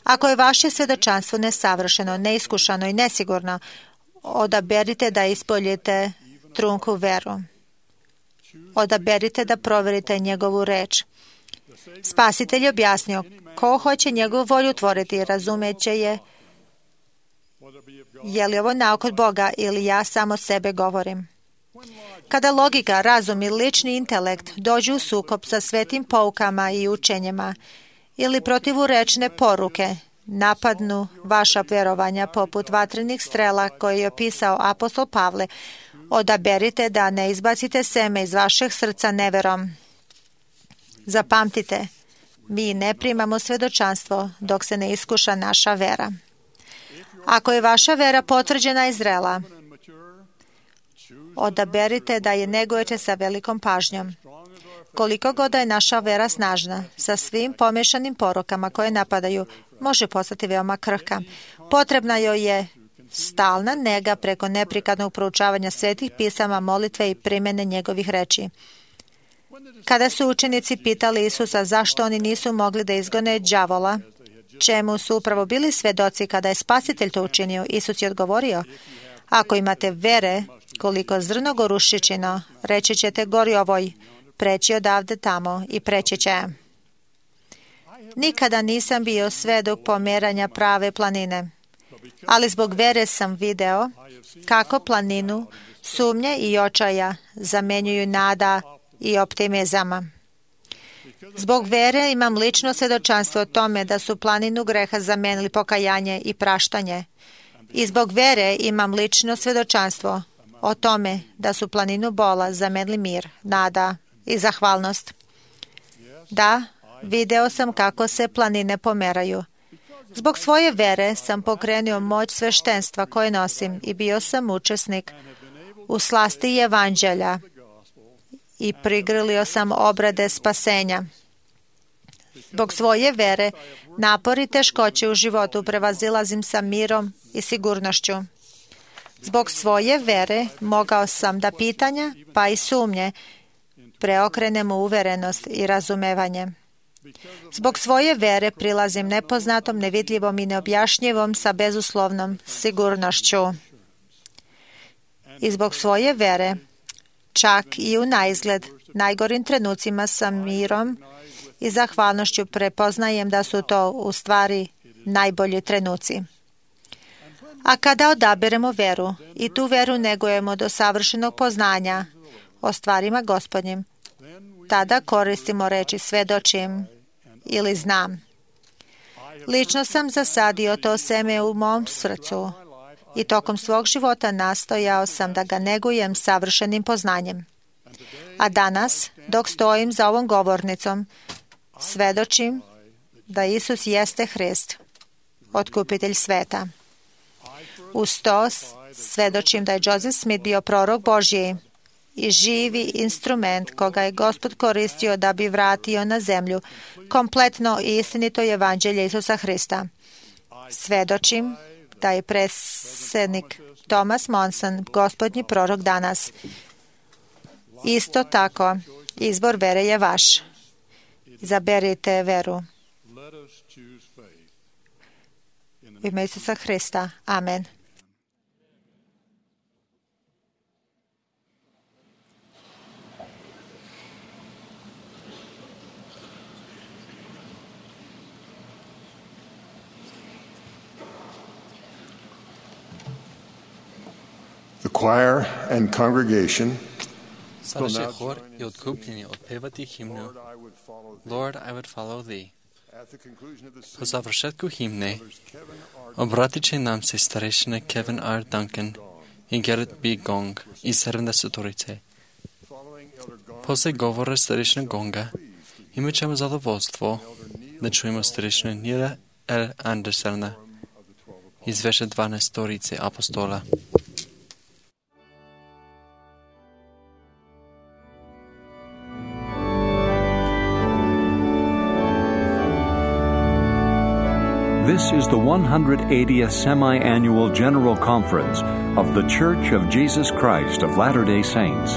Ako je vaše svjedočanstvo nesavršeno, neiskušano i nesigurno, odaberite da ispoljite trunku veru. Odaberite da provjerite njegovu reč. Spasitelj je objasnio, ko hoće njegovu volju tvoriti, razumeće je je li ovo nauk od Boga ili ja samo sebe govorim. Kada logika, razum i lični intelekt dođu u sukob sa svetim poukama i učenjima ili protivurečne poruke, napadnu vaša vjerovanja poput vatrenih strela koje je opisao apostol Pavle, odaberite da ne izbacite seme iz vašeg srca neverom. Zapamtite, mi ne primamo svjedočanstvo dok se ne iskuša naša vera. Ako je vaša vera potvrđena i zrela, odaberite da je negujete sa velikom pažnjom. Koliko god je naša vera snažna, sa svim pomješanim porukama koje napadaju, može postati veoma krhka. Potrebna joj je stalna nega preko neprikladnog proučavanja svetih pisama, molitve i primjene njegovih reči. Kada su učenici pitali Isusa zašto oni nisu mogli da izgone đavola, čemu su upravo bili svedoci kada je Spasitelj to učinio, Isus je odgovorio, ako imate vere koliko zrno gorušičino, reći ćete gori ovoj, preći odavde tamo i preći će. Nikada nisam bio svedok pomjeranja prave planine, ali zbog vere sam video kako planinu sumnje i očaja zamenjuju nada i optimizama. Zbog vere imam lično svjedočanstvo o tome da su planinu greha zamenili pokajanje i praštanje. I zbog vere imam lično svjedočanstvo o tome da su planinu bola zamenili mir, nada i zahvalnost. Da, video sam kako se planine pomeraju. Zbog svoje vere sam pokrenuo moć sveštenstva koje nosim i bio sam učesnik u slasti evanđelja i prigrlio sam obrade spasenja. Zbog svoje vere, napori i teškoće u životu prevazilazim sa mirom i sigurnošću. Zbog svoje vere mogao sam da pitanja, pa i sumnje, preokrenem u uverenost i razumevanje. Zbog svoje vere prilazim nepoznatom, nevidljivom i neobjašnjivom sa bezuslovnom sigurnošću. I zbog svoje vere, čak i u naizgled najgorim trenucima sa mirom i zahvalnošću prepoznajem da su to u stvari najbolji trenuci. A kada odaberemo veru i tu veru negujemo do savršenog poznanja o stvarima Gospodnjim, tada koristimo reči svedočim ili znam. Lično sam zasadio to seme u mom srcu i tokom svog života nastojao sam da ga negujem savršenim poznanjem. A danas, dok stojim za ovom govornicom, svedočim da Isus jeste Hrist, otkupitelj sveta. Uz to svedočim da je Joseph Smith bio prorok Božji i živi instrument koga je Gospod koristio da bi vratio na zemlju kompletno i istinito evanđelje Isusa Hrista. Svedočim da je predsjednik Thomas Monson Gospodnji prorok danas. Isto tako, izbor vere je vaš. Izaberite veru. U ime Isusa Hrista. Amen. The choir and congregation Sadaše hor i odkupljeni otpevati himnu Lord, I would follow thee. Po završetku himne obratit će nam se starešine Kevin R. Duncan i Gerrit B. Gong iz sedamdesetorice. Posle govora starešine Gonga imat ćemo zadovoljstvo da čujemo starešine Nila L. Andersona iz veše dvanaestorice apostola. This is the one hundred eightieth semi-annual General Conference of The Church of Jesus Christ of Latter-day Saints.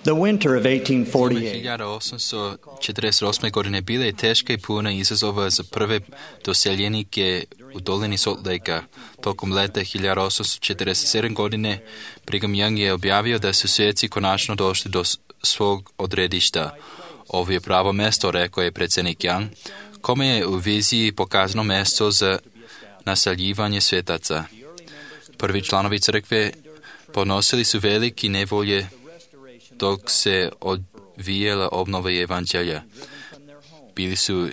The winter of eighteen forty-eight. hiljadu osamsto četrdeset osme. godine bila je teška i puna izazova za prve doseljenike u dolini Salt Lakea. Tokom leta hiljadu osamsto četrdeset sedme. godine Brigham Young je objavio da su sveci konačno došli do svog odredišta. Ovo je pravo mesto, rekao je predsjednik Young, kome je u viziji pokazano mesto za naseljivanje svetaca. Prvi članovi crkve ponosili su veliki nevolje dok se odvijela obnova evanđelja. Bili su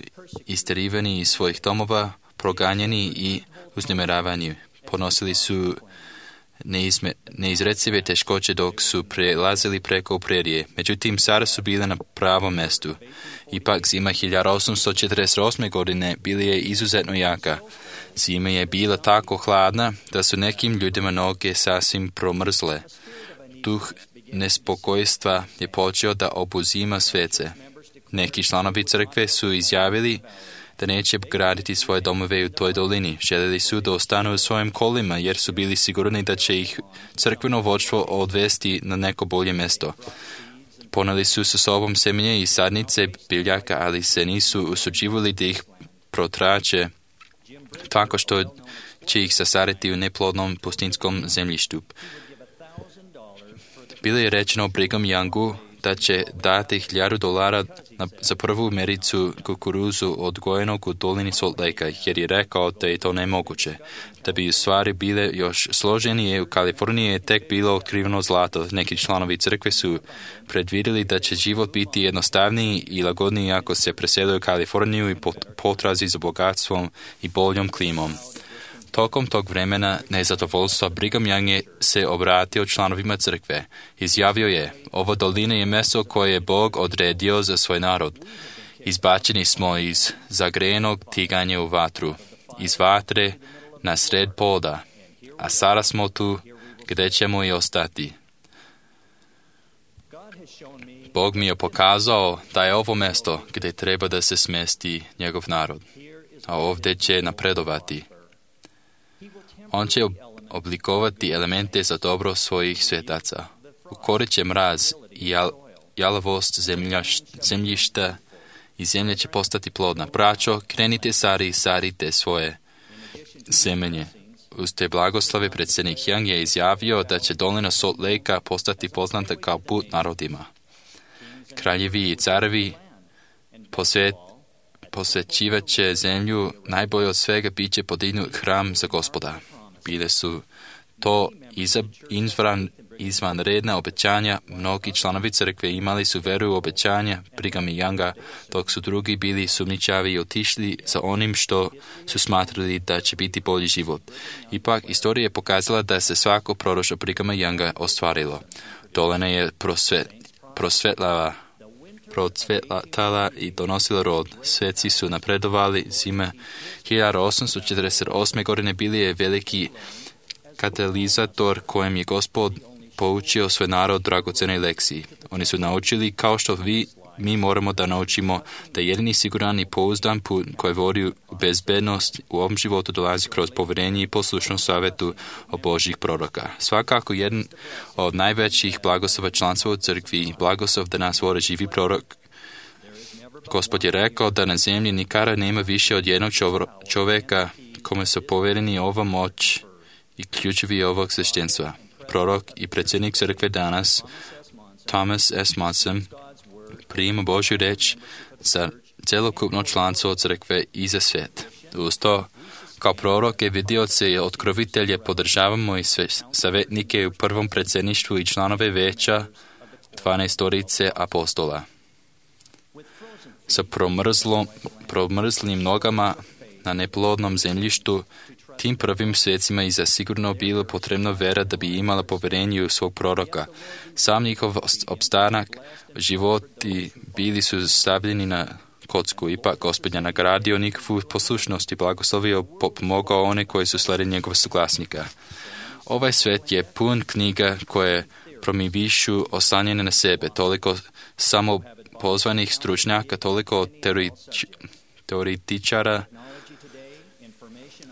isterivani iz svojih domova, proganjeni i uznemiravani. Ponosili su neizme, neizrecive teškoće dok su prelazili preko prerije. Međutim, sada su bile na pravom mestu. Ipak zima hiljadu osamsto četrdeset osme. godine bila je izuzetno jaka. Zima je bila tako hladna da su nekim ljudima noge sasvim promrzle. Duh nespokojstva je počeo da obuzima svece. Neki članovi crkve su izjavili da neće graditi svoje domove u toj dolini. Željeli su da ostanu u svojim kolima jer su bili sigurni da će ih crkveno vođstvo odvesti na neko bolje mjesto. Poneli su sa sobom semenje i sadnice biljaka, ali se nisu usuđivali da ih protrače tako što će ih sasaditi u neplodnom pustinskom zemljištu. Bilo je rečeno Brigham Youngu da će dati hiljadu dolara na, za prvu mericu kukuruzu odgojenog u dolini Salt Lake, jer je rekao da je to nemoguće. Da bi u stvari bile još složenije, u Kaliforniji je tek bilo otkriveno zlato. Neki članovi crkve su predvidjeli da će život biti jednostavniji i lagodniji ako se presele u Kaliforniju i potrazi za bogatstvom i boljom klimom. Tokom tog vremena nezadovoljstva Brigham Young je se obratio članovima crkve. Izjavio je, ovo dolina je mjesto koje je Bog odredio za svoj narod. Izbačeni smo iz zagrejenog tiganja u vatru, iz vatre na sred poda, a sada smo tu gdje ćemo i ostati. Bog mi je pokazao da je ovo mjesto gdje treba da se smesti njegov narod, a ovdje će napredovati. On će oblikovati elemente za dobro svojih svetaca. Ukorit će mraz i jal, jalavost zemljaš, zemljišta i zemlja će postati plodna. Braćo, krenite sari i sarite svoje semenje. Uz te blagoslove predsjednik Young je izjavio da će dolina Salt Lake postati poznata kao put narodima. Kraljevi i carevi posvet, posvećivat će zemlju, najbolje od svega bit će podignut hram za Gospoda. Bile su to izvan, izvanredna obećanja, mnogi članovi crkve imali su veru u obećanja Brighama Younga, dok su drugi bili sumničavi i otišli za onim što su smatrali da će biti bolji život. Ipak, istorija je pokazala da se svako proroštvo Brighama Younga ostvarilo. Dolina je prosvet, prosvetlava procvetala i donosila rod. Sveci su napredovali. Zima hiljadu osamsto četrdeset osme. godine bili je veliki katalizator kojem je Gospod poučio svoj narod dragocjenoj lekciji. Oni su naučili, kao što vi, mi moramo da naučimo, da jedini siguran i pouzdan put koji vodi u bezbednost u ovom životu dolazi kroz povjerenje i poslušnost savjetu o Božjih proroka. Svakako jedan od najvećih blagoslova članstva u crkvi i blagoslov da nas vodi živi prorok. Gospod je rekao da na zemlji nikada nema više od jednog čovjeka kome su povjereni ova moć i ključevi ovog sveštenstva. Prorok i predsjednik crkve danas, Thomas S. Monson, prijima Božju reč za celokupno članstvo crkve i za svijet. Uz to, kao prorok i vidioce i otkrovitelje podržavamo i sve savjetnike u prvom predsjedništvu i članove veća dvanaestorice apostola. Sa promrzlim nogama na neplodnom zemljištu, tim prvim svecima i zasigurno bilo potrebno vera da bi imala povjerenje u svog proroka. Sam njihov opstanak, životi bili su stavljeni na kocku. Ipak Gospod je nagradio njihovu poslušnost i blagoslovio, pomogao one koji su sledili njegov suglasnika. Ovaj svet je pun knjiga koje promivišu oslanjene na sebe, toliko samo pozvanih stručnjaka, toliko teoretičara.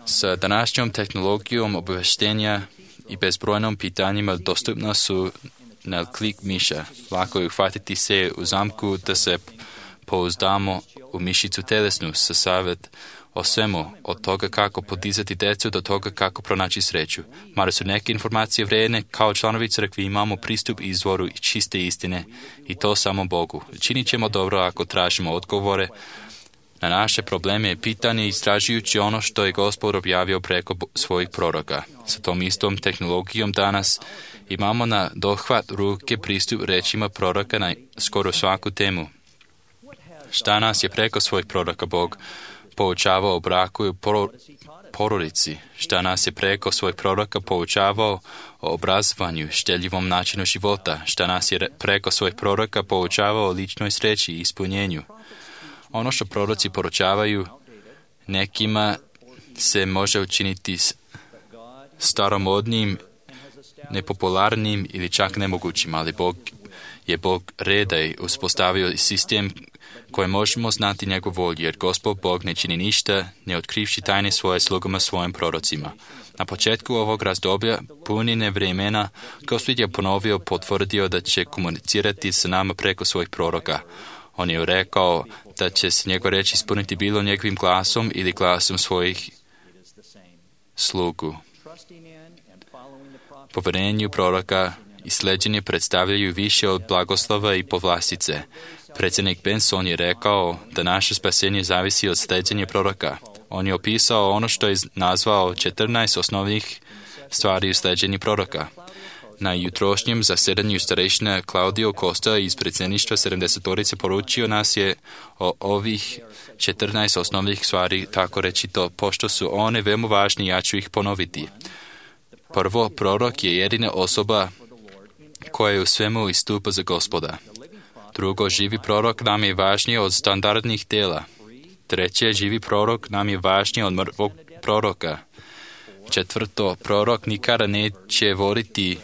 Sa današnjom tehnologijom obaveštenja i bezbrojnom pitanjima dostupna su na klik miša. Lako je uhvatiti se u zamku da se pouzdamo u mišicu telesnu sa savjet o svemu, od toga kako podizati decu do toga kako pronaći sreću. Mada su neke informacije vrijedne, kao članovi crkvi imamo pristup izvoru i čiste istine i to samo Bogu. Činit ćemo dobro ako tražimo odgovore na naše probleme i pitanje istražujući ono što je Gospod objavio preko svojih proroka. Sa tom istom tehnologijom danas imamo na dohvat ruke pristup rečima proroka na skoro svaku temu. Šta nas je preko svojih proroka Bog poučavao o braku i porodici, šta nas je preko svojih proroka poučavao o obrazovanju, štedljivom načinu života, šta nas je preko svojih proroka poučavao o ličnoj sreći i ispunjenju. Ono što proroci poručavaju, nekima se može učiniti staromodnim, nepopularnim ili čak nemogućim, ali Bog je Bog reda i uspostavio sistem koje možemo znati njegov volju, jer Gospod Bog ne čini ništa, ne otkrivši tajne svoje slugama svojim prorocima. Na početku ovog razdoblja, punine vremena, Gospod je ponovio, potvrdio da će komunicirati sa nama preko svojih proroka. On je rekao da će se njegov reč ispuniti bilo njegovim glasom ili glasom svojih slugu. Poverenju proroka i sleđenje predstavljaju više od blagoslova i povlastice. Predsjednik Benson je rekao da naše spasenje zavisi od sleđenja proroka. On je opisao ono što je nazvao četrnaest osnovnih stvari u sleđenju proroka. Na jutrošnjem zasedanju starešina Claudio Costa iz predsjedništva sedamdesetorice poručio nas je o ovih četrnaest osnovnih stvari, tako reći to, pošto su one veoma važne, ja ću ih ponoviti. Prvo, prorok je jedina osoba koja je u svemu istupa za Gospoda. Drugo, živi prorok nam je važniji od standardnih tela. Treće, živi prorok nam je važniji od mrtvog proroka. Četvrto, prorok nikada neće voditi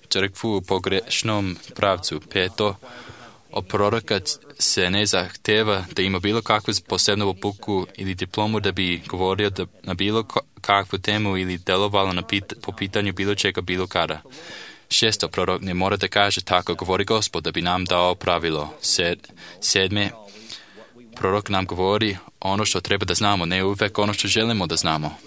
crkvu u pogrešnom pravcu. Peto, od proroka se ne zahteva da ima bilo kakvu posebnu obuku ili diplomu da bi govorio da na bilo kakvu temu ili delovalo na pit, po pitanju bilo čega bilo kada. Šesto, prorok ne mora da kaže tako govori Gospod da bi nam dao pravilo. Sed, sedme, prorok nam govori ono što treba da znamo, ne uvek ono što želimo da znamo.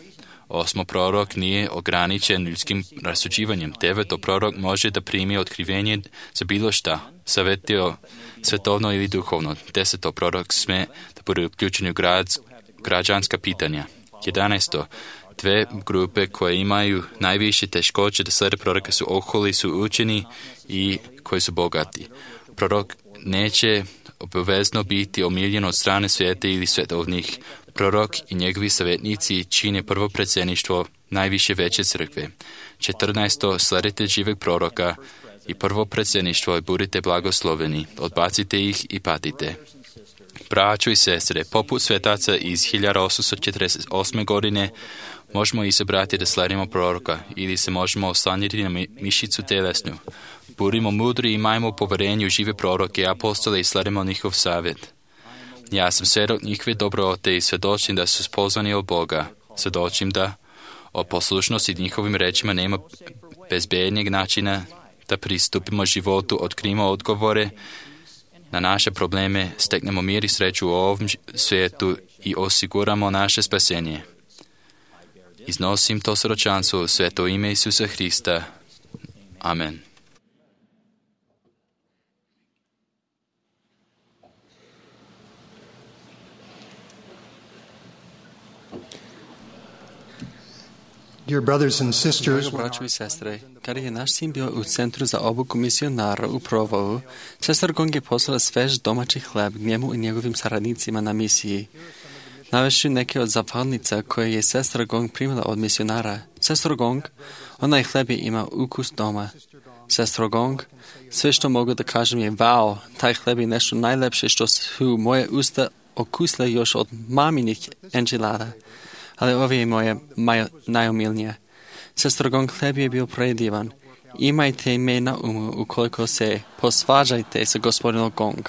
Osmo, prorok nije ograničen ljudskim rasuđivanjem. Deveto, prorok može da primi otkrivenje za bilo šta, savjetio svetovno ili duhovno. Deseto, prorok sme da bude uključen u grad, građanska pitanja. Jedanaesto, dve grupe koje imaju najviše teškoće da slede proroka su oholi, su učeni i koji su bogati. Prorok neće obavezno biti omiljen od strane svijeta ili svetovnih. Prorok i njegovi savjetnici čine prvo predsjedništvo najviše veće crkve. Četrnaesto, sledite živeg proroka i prvo predsjedništvo i budite blagosloveni. Odbacite ih i patite. Braćo i sestre, poput svetaca iz hiljadu osamsto četrdeset osme godine možemo izabrati da sledimo proroka ili se možemo oslanjati na mišicu telesnu. Budimo mudri i imajmo poverenje u žive proroke, apostole i sledimo njihov savjet. Ja sam svjedok njihove dobrote i svjedočim da su spozvani od Boga. Svjedočim da o poslušnosti njihovim rečima nema bezbednijeg načina da pristupimo životu, otkrijemo odgovore na naše probleme, steknemo mir i sreću u ovom svijetu i osiguramo naše spasenje. Iznosim to svjedočanstvo u sveto ime Isusa Hrista. Amen. Dear brothers and sisters, Drago braćo i sestre, kada je naš sin bio u centru za obuku misionara u Provoju, sestra Gong je poslala svež domaći hleb njemu i njegovim saradnicima na misiji. Navešću neke od zahvalnica koje je sestra Gong primila od misionara. Sestra Gong, onaj hleb je ima ukus doma. Sestra Gong, sve što mogu da kažem je wow, taj hleb je nešto najlepše što su moje usta okusle još od maminih enčilada. Ali ovo je moje najomilnije. Sestra Gong, hleb je bio predivan. Imajte me na umu ukoliko se posvađajte sa gospodinom Gong.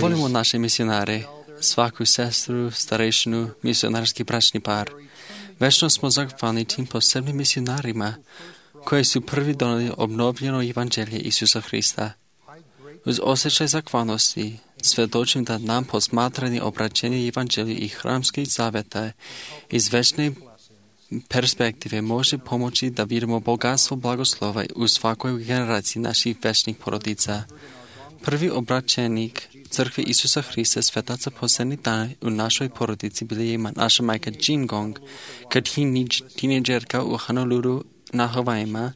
Volimo naše misionare, svaku sestru, starešinu, misionarski bračni par. Večno smo zahvalni tim posebnim misionarima koji su prvi doneli obnovljeno evanđelje Isusa Hrista. Uz osjećaj zahvalnosti svjedočim da nam posmatrani obraćenje evanđelja i hramskih zaveta iz večne perspektive može pomoći da vidimo bogatstvo blagoslova u svakoj generaciji naših večnih porodica. Prvi obraćenik crkve Isusa Hrista svetaca posljednjih dana u našoj porodici bila je naša majka Jean Gong, kad tineđerka u Honolulu na Havajima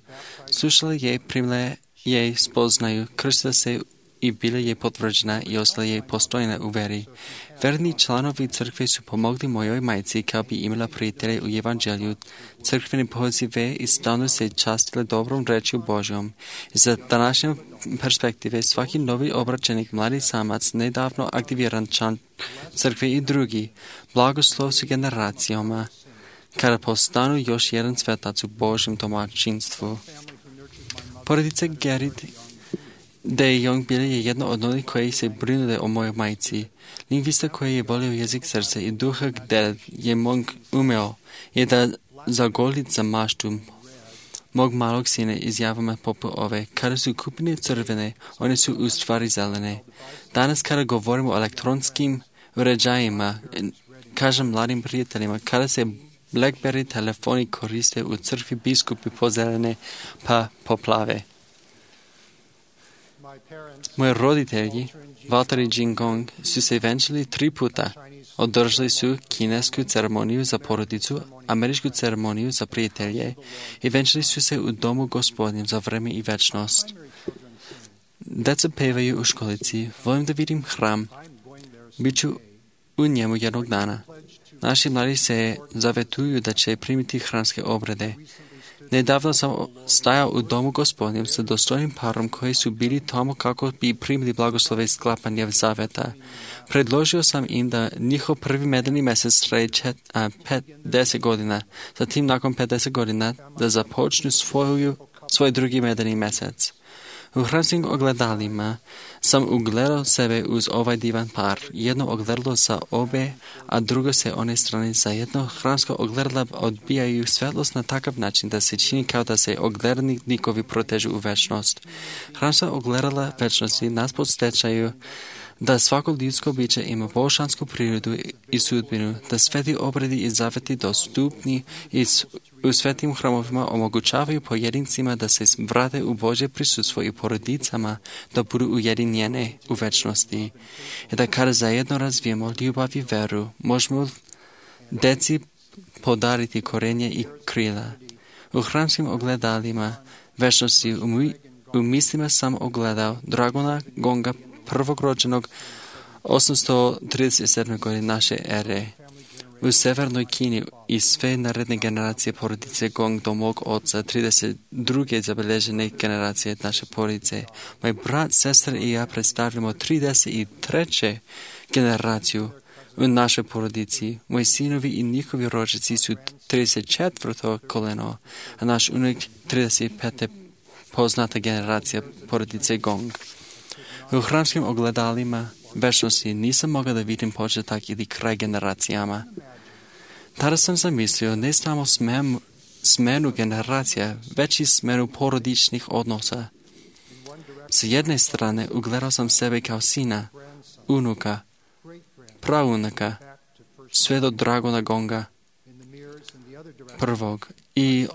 slušala je, primila je spoznaju, krstila se i bila je potvrđena i ostala je postojna u veri. Verni članovi crkve su pomogli mojoj majci kao bi imala prijatelje u evanđelju. Crkveni pozive i stalno se častile dobrom rečju Božjom. Za današnje perspektive svaki novi obraćenik, mladi samac, nedavno aktiviran član crkve i drugi, blagoslov su generacijama, kada postanu još jedan svetac u Božjem domaćinstvu. Porodica Gerrit de Jong bila je jedna od onih koji se brinule o mojoj majci. Lingvista koji je volio jezik srca i duha gdje je Mong umeo je da zagolit za maštu mog malog sina izjavama poput ove. Kada su kupine crvene, one su u stvari zelene. Danas kada govorimo o elektronskim uređajima, kažem mladim prijateljima, kada se BlackBerry telefoni koriste u crkvi, biskupi pozelene pa poplave. Moji roditelji, Walter i Jingong, su se venčali tri puta. Održali su kinesku ceremoniju za porodicu, američku ceremoniju za prijatelje i venčali su se u domu Gospodnjem za vreme i večnost. Deca pevaju u školici, volim da vidim hram, bit ću u njemu jednog dana. Naši mladi se zavetuju da će primiti hramske obrede. Nedavno sam stajao u domu Gospodnjem sa dostojnim parom koji su bili tamo kako bi primili blagoslove sklapanja zaveta. Predložio sam im da njihov prvi medeni mjesec traje pedeset godina, zatim nakon pedeset godina da započnu svoju, svoj drugi medeni mjesec. U hramskim ogledalima sam ugledao sebe uz ovaj divan par. Jedno ogledalo sa obe, a drugo se one strane zajedno. Hramska ogledala odbijaju svetlost na takav način da se čini kao da se oglednikovi protežu u večnost. Hramska ogledala večnosti nas podsjećaju da svako ljudsko biće ima božansku prirodu i sudbinu, da sveti obredi i zaveti dostupni i u svetim hramovima omogućavaju pojedincima da se vrate u Božje prisustvo i porodicama da budu ujedinjene u večnosti. I da kada zajedno razvijemo ljubav i veru, možemo deci podariti korenje i krila. U hramskim ogledalima večnosti u, mi, u mislima sam ogledao Dragona Gonga, prvog rođenog osamsto trideset sedme godine naše ere. U severnoj Kini i sve naredne generacije porodice Gong do mog oca, trideset druge zabeležene generacije naše porodice. Moj brat, sestra i ja predstavljamo trideset treću generaciju u našoj porodici. Moji sinovi i njihovi rođaci su trideset četvrto koleno, a naš unuk trideset peta poznata generacija porodice Gong. U hramskim ogledalima večnosti nisam mogao da vidim početak ili kraj generacijama. Tada sam zamislio ne samo smenu, smenu generacija, već i smenu porodičnih odnosa. S jedne strane ugledao sam sebe kao sina, unuka, praunuka, sve do Dragona Gonga prvog. I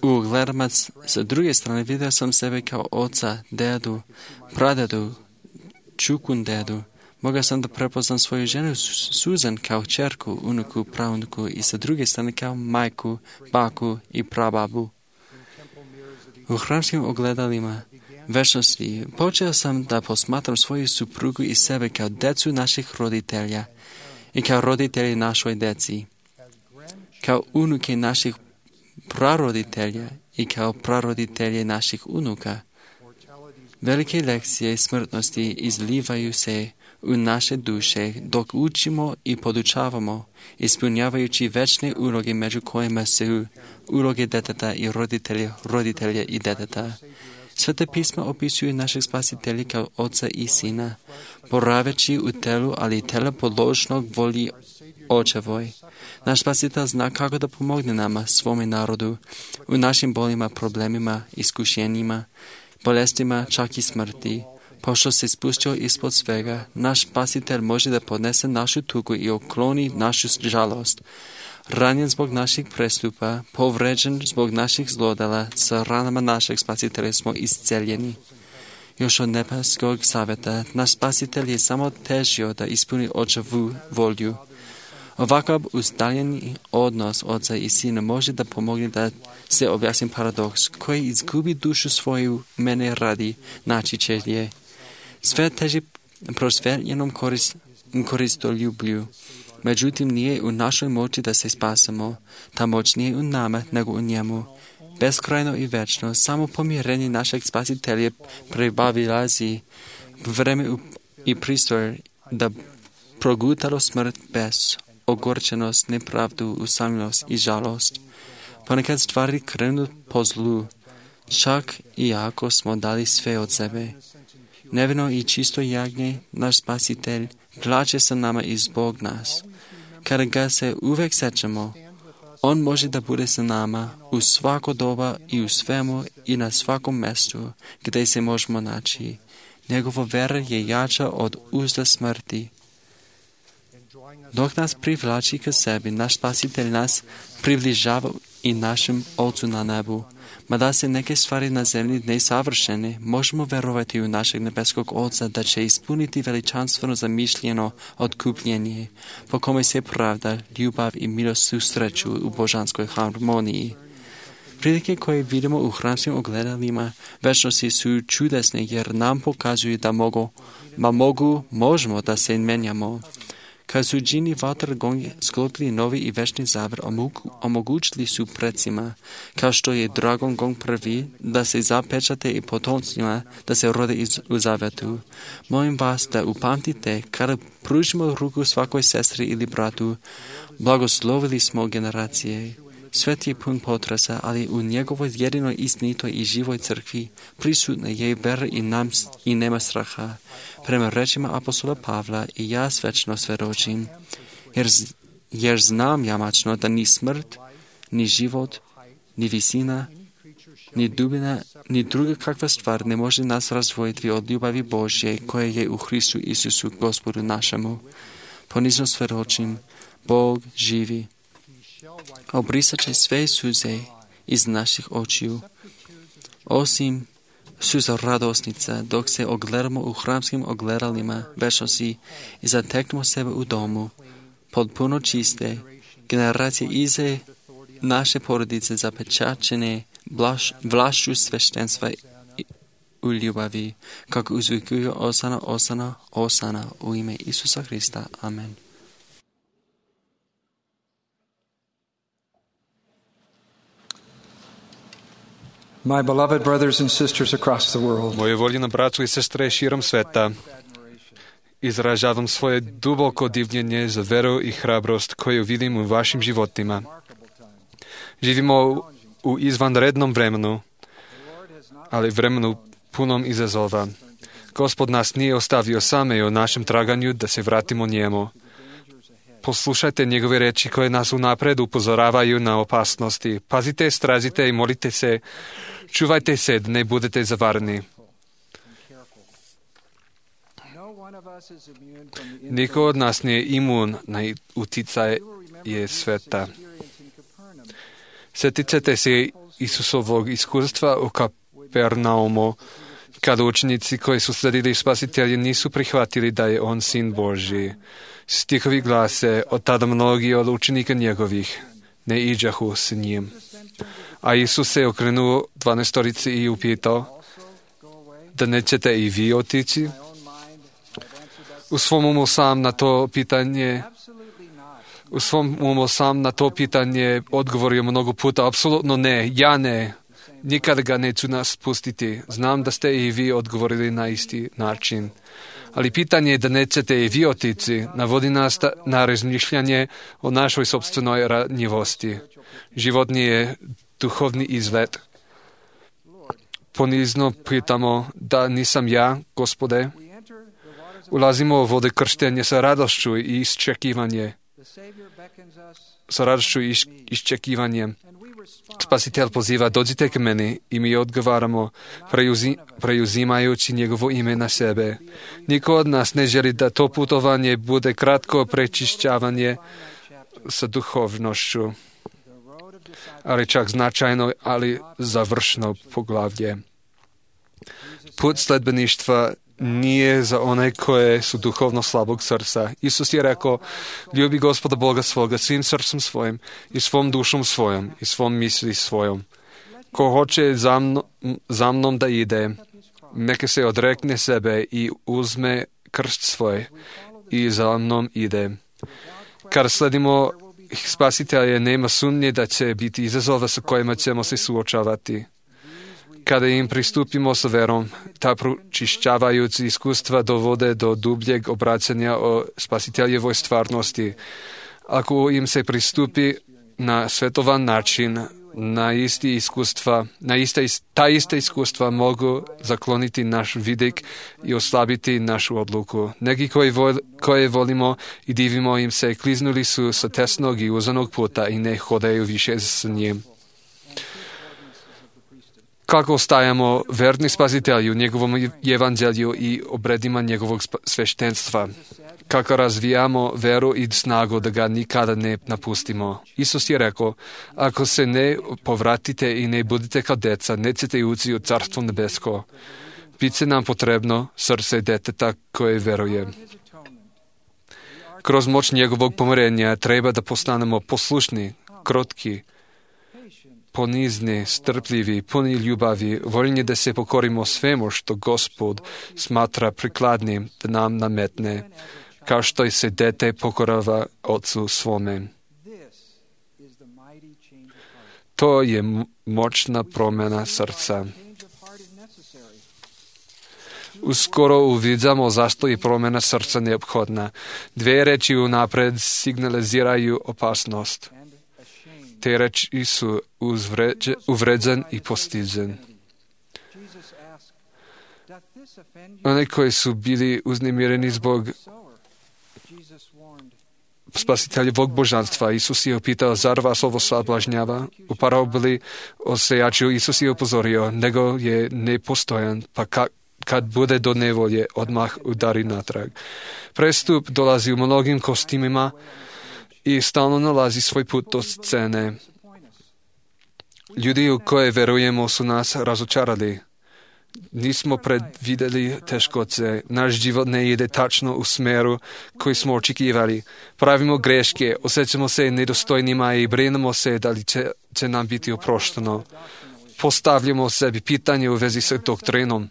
u ogledama sa druge strane vidio sam sebe kao oca, dedu, pradedu, čukun dedu. Mogao sam da prepoznam svoju ženu Susan kao čerku, unuku, praunuku i sa druge strane kao majku, baku i prababu. U hramskim ogledalima večnosti počeo sam da posmatram svoju suprugu i sebe kao decu naših roditelja i kao roditelji našoj deci, kao unuke naših praroditelja i kao praroditelje naših unuka. Velike lekcije smrtnosti izlivaju se u naše duše dok učimo i podučavamo, ispunjavajući večne uloge među kojima su uloge deteta i roditelja, roditelja i deteta. Svete pisma opisuju našeg spasitelja kao oca i sina, boraveći u telu, ali telo podložnog voli očevoj. Naš spasitelj zna kako da pomogne nama, svome narodu, u našim bolima, problemima, iskušenjima, bolestima, čak i smrti. Pošto se spustio ispod svega, naš spasitelj može da podnese našu tugu i okloni našu žalost. Ranjen zbog naših prestupa, povređen zbog naših zlodela, sa ranama našeg spasitelja smo isceljeni. Još od nebeskog saveta, naš spasitelj je samo težio da ispuni očevu volju. Ovakav uzdaljeni odnos oca i sina može da pomogne da se objasni paradoks koji izgubi dušu svoju mene radi naći će je. Svet teži prosveljenom korist, koristoljublju. Međutim, nije u našoj moći da se spasemo. Ta moć nije u nama, nego u njemu. Beskrajno i večno, samo pomirenje našeg spasitelja prebavilazi vreme i pristor da progutalo smrt bez ogorčenost, nepravdu, usamljenost i žalost. Ponekad stvari krenu po zlu, čak i ako smo dali sve od sebe. Nevino i čisto jagnje, naš spasitelj, plače sa nama i zbog nas. Kada ga se uvek sećamo, on može da bude sa nama u svako doba i u svemu i na svakom mestu gdje se možemo naći. Njegova vera je jača od uzda smrti. Dok nas privlači k sebi, naš spasitelj nas približava i našem Ocu na nebu. Mada se neke stvari na zemlji nesavršene, možemo verovati u našeg nebeskog Oca da će ispuniti veličanstveno zamišljeno otkupljenje, po kome se pravda, ljubav i milost susreću u božanskoj harmoniji. Prilike koje vidimo u hramskim ogledalima večnosti su čudesne jer nam pokazuju da mogu, ma mogu, možemo da se menjamo. Kad su džini Vatrgong sklopili novi i večni zavr, omogućili su predsima, kao što je Dragon Gong prvi, da se zapečate i potomcima da se rode iz, u zavetu. Molim vas da upamtite, kada pružimo ruku svakoj sestri ili bratu, blagoslovili smo generacije. Svet je pun potresa, ali u njegovoj jedinoj istinitoj i živoj crkvi prisutna je vera i, nam, i nema straha. Prema rečima apostola Pavla i ja svečno svedočim, jer, jer znam jamačno da ni smrt, ni život, ni visina, ni dubina, ni druga kakva stvar ne može nas razvojiti od ljubavi Božje koja je u Hristu Isusu Gospodu našemu. Ponizno svedočim, Bog živi. Obrisat će sve suze iz naših očiju, osim suza radosnica, dok se ogledamo u hramskim ogledalima večnosti i zateknemo sebe u domu, potpuno čiste, generacije ize naše porodice zapečačene blaš, vlašću sveštenstva u ljubavi, kako uzvikuju Osana, Osana, Osana u ime Isusa Hrista. Amen. My beloved brothers and sisters across the world, Moje voljeno braćo i sestre širom sveta, izražavam svoje duboko divljenje za veru i hrabrost koju vidim u vašim životima. Živimo u izvanrednom vremenu, ali vremenu punom izazova. Gospod nas nije ostavio same u našem traganju da se vratimo njemu. Poslušajte njegove reči koje nas unapred upozoravaju na opasnosti. Pazite, strazite i molite se. Čuvajte se da ne budete zavarni. Niko od nas nije imun na utjecaj sveta. Sjetite se Isusovog iskustva u Kapernaumu, kada učenici koji su sledili Spasitelja nisu prihvatili da je on sin Božji. Stihovi glase, od tada mnogi od učenika njegovih ne iđahu s njim. A Isus se okrenuo dvanaestorici i upitao, da nećete i vi otići? U svom umu sam na to pitanje u svom umu sam na to pitanje odgovorio mnogo puta, apsolutno ne, ja ne, nikada ga neću nas pustiti. Znam da ste i vi odgovorili na isti način. Ali pitanje da nećete i vi otići navodi nas na razmišljanje o našoj sopstvenoj ranjivosti. Život nije duhovni izlet. Ponizno pitamo da nisam ja, Gospode. Ulazimo u vode krštenja sa radošću i iščekivanje. Sa radošću i iščekivanjem. Spasitelj poziva, dođite k meni i mi odgovaramo, preuzim, preuzimajući njegovo ime na sebe. Niko od nas ne želi da to putovanje bude kratko prečišćavanje sa duhovnošću, ali čak značajno, ali završno poglavlje. Put sledbeništva nije za one koje su duhovno slabog srca. Isus je rekao, ljubi Gospoda Boga svoga svim srcem svojim i svom dušom svojom i svom misli svojom. Ko hoće za, mno, za mnom da ide, Neka se odrekne sebe i uzme krst svoj i za mnom ide. Kada sledimo Spasitelja, nema sumnje da će biti izazova sa kojima ćemo se suočavati. Kada im pristupimo sa verom, ta pročišćavajuća iskustva dovode do dubljeg obraćanja o Spasiteljevoj stvarnosti. Ako im se pristupi na svetovan način, na isti iskustva, na ista, ta ista iskustva mogu zakloniti naš vidik i oslabiti našu odluku. Neki koji vol, koje volimo i divimo im se kliznuli su sa tesnog i uzanog puta i ne hodaju više s njim. Kako ostajamo verni Spasitelju, njegovom evanđelju i obredima njegovog sveštenstva? Kako razvijamo veru i snagu da ga nikada ne napustimo? Isus je rekao, ako se ne povratite i ne budete kao deca, nećete ući u Carstvo nebesko. Biće nam potrebno srce deteta koje veruje. Kroz moć njegovog pomirenja treba da postanemo poslušni, krotki, ponizni, strpljivi, puni ljubavi, voljni da se pokorimo svemu što Gospod smatra prikladnim da nam nametne, kao što se dete pokorava ocu svome. To je moćna promjena srca. Uskoro uviđamo zašto je promjena srca neophodna. Dve reči unapred signaliziraju opasnost. Te reči su uvređen i postiđen. Oni koji su bili uznemireni zbog Spasiteljevog božanstva, Isus je upitao, zar vas ovo sablažnjava? U paraboli o sejaču Isus je upozorio, nego je nepostojan, pa ka, kad bude do nevolje, odmah udari natrag. Prestup dolazi u mnogim kostimima i stalno nalazi svoj put do scene. Ljudi u koje verujemo su nas razočarali. Nismo predvideli teškoće. Naš život ne ide tačno u smeru koji smo očekivali. Pravimo greške, osjećamo se nedostojnima i brinemo se da li će, će nam biti oprošteno. Postavljamo sebi pitanje u vezi sa doktrinom.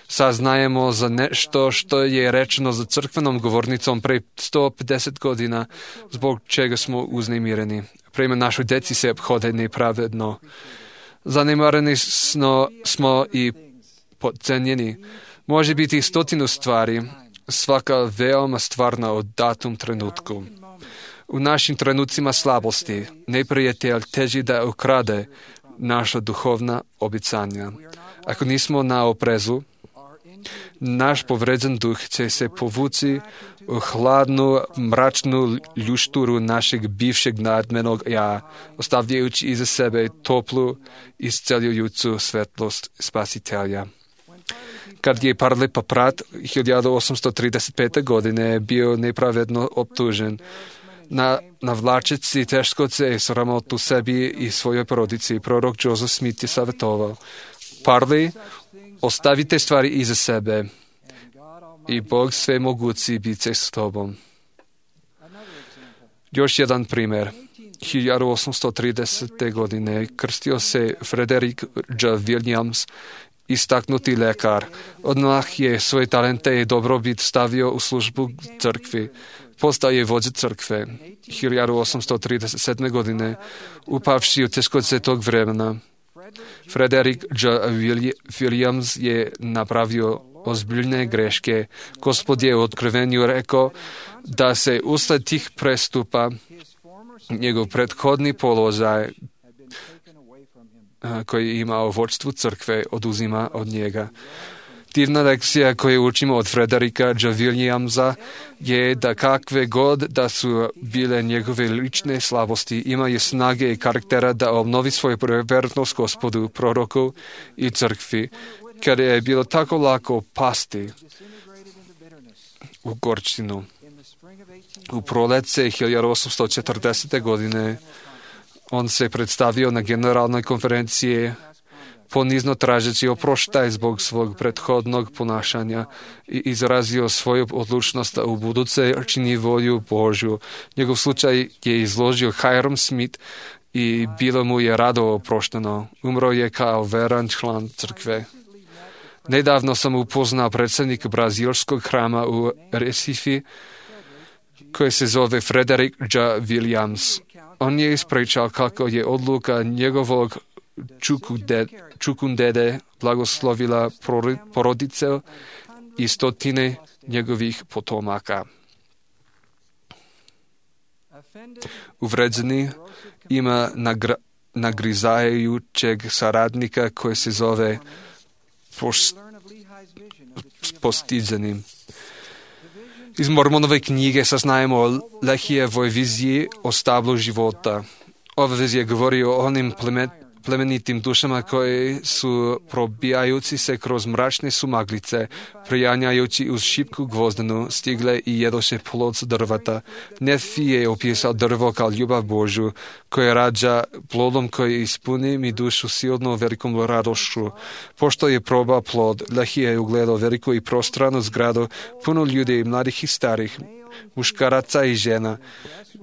Saznajemo za nešto što je rečeno za crkvenom govornicom pre sto pedeset godina, zbog čega smo uznemireni. Prema našoj deci se obhode nepravedno. Zanemareni smo, smo i podcenjeni. Može biti stotinu stvari, svaka veoma stvarna od datum trenutku. U našim trenucima slabosti neprijatelj teži da ukrade naša duhovna obećanja. Ako nismo na oprezu, naš povređen duh će se povući u hladnu, mračnu ljušturu našeg bivšeg nadmenog ja, ostavljajući iza sebe toplu, isceljujuću svetlost Spasitelja. Kad je Parle Paprat hiljadu osamsto trideset pete. godine bio nepravedno optužen, na, navlačeći teškoće i sramotu sebi i svojoj porodici, prorok Joseph Smith je savjetovao, Parle, ostavite stvari iza sebe i Bog sve mogući bit će s tobom. Još jedan primjer. hiljadu osamsto tridesete. godine krstio se Frederick J. Williams, istaknuti lekar. Odmah je svoje talente i dobrobit stavio u službu crkvi. Postao je vođa crkve. hiljadu osamsto trideset sedme. godine upavši u teškoće tog vremena. Frederick J. Williams je napravio ozbiljne greške. Gospod je u otkrivenju rekao da se usled tih prestupa njegov prethodni položaj koji je imao u vođstvu crkve oduzima od njega. Divna lekcija koju učimo od Frederika J. Williamsa je da kakve god da su bile njegove lične slabosti, imaju snage i karaktera da obnovi svoju vernost Gospodu, proroku i crkvi, kada je bilo tako lako pasti u gorčinu. U proljeće hiljadu osamsto četrdesete. godine on se predstavio na generalnoj konferenciji ponizno tražeći oproštaj zbog svog prethodnog ponašanja i izrazio svoju odlučnost da u buduće čini volju Božju. Njegov slučaj je izložio Hiram Smith i bilo mu je rado oprošteno. Umro je kao veran član crkve. Nedávno som upoznal predsedníka brazílskog chráma u Recife, koji se zove Frederick J. Williams. On je ispričal kako je odluka njegovog čukundede blagoslovila porodice i stotine njegovih potomaka. Uvređeni ima nagra, nagrizajućeg saradnika koji se zove pos, postiđenim. Iz Mormonove knjige saznajemo o Lehijevoj viziji o stablu života. Ova vizija govori o onim plemet, plemenitim dušama koji su probijajući se kroz mračne sumaglice, prijanjajući uz šipku gvozdenu, stigle i jedoše plod s drvata. Nefi je opisao drvo kao ljubav Božju, koja rađa plodom koji ispuni mi dušu silno velikom radošću. Pošto je probao plod, Lehi je ugledao veliku i prostranu zgradu, puno ljudi, mladih i starih, muškaraca i žena.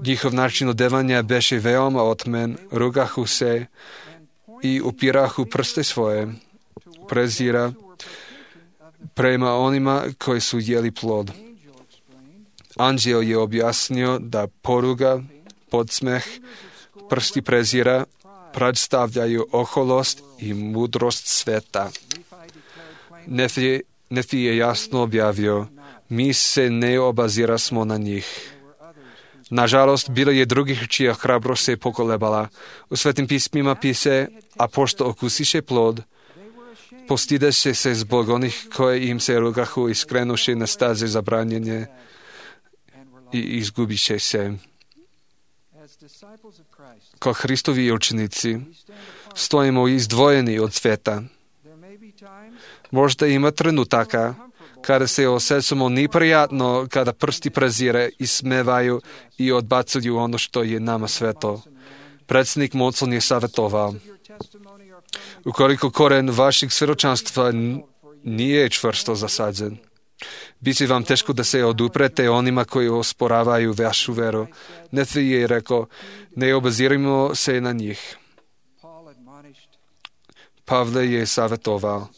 Njihov način odevanja beše veoma otmen, rugahu se i upirahu prste svoje, prezira prema onima koji su jeli plod. Anđeo je objasnio da poruga, podsmeh, prsti prezira predstavljaju oholost i mudrost sveta. Nefi, Nefi je jasno objavio, mi se ne obazirasmo na njih. Nažalost, bilo je drugih čija hrabrost se pokolebala. U Svetim pismima pise, a pošto okusiše plod, postideše se zbog onih koje im se rugahu i skrenuše na staze zabranjenje i izgubiše se. Kao Hristovi učenici stojimo izdvojeni od sveta. Možda ima trenutaka kada se osjećamo neprijatno, kada prsti prezire i smevaju i odbacuju ono što je nama sveto. Predsjednik Monson je savjetovao, ukoliko koren vašeg svjedočanstva nije čvrsto zasađen, bit će vam teško da se oduprete onima koji osporavaju vašu veru. Nefi je rekao, ne obazirimo se na njih. Pavle je savjetovao,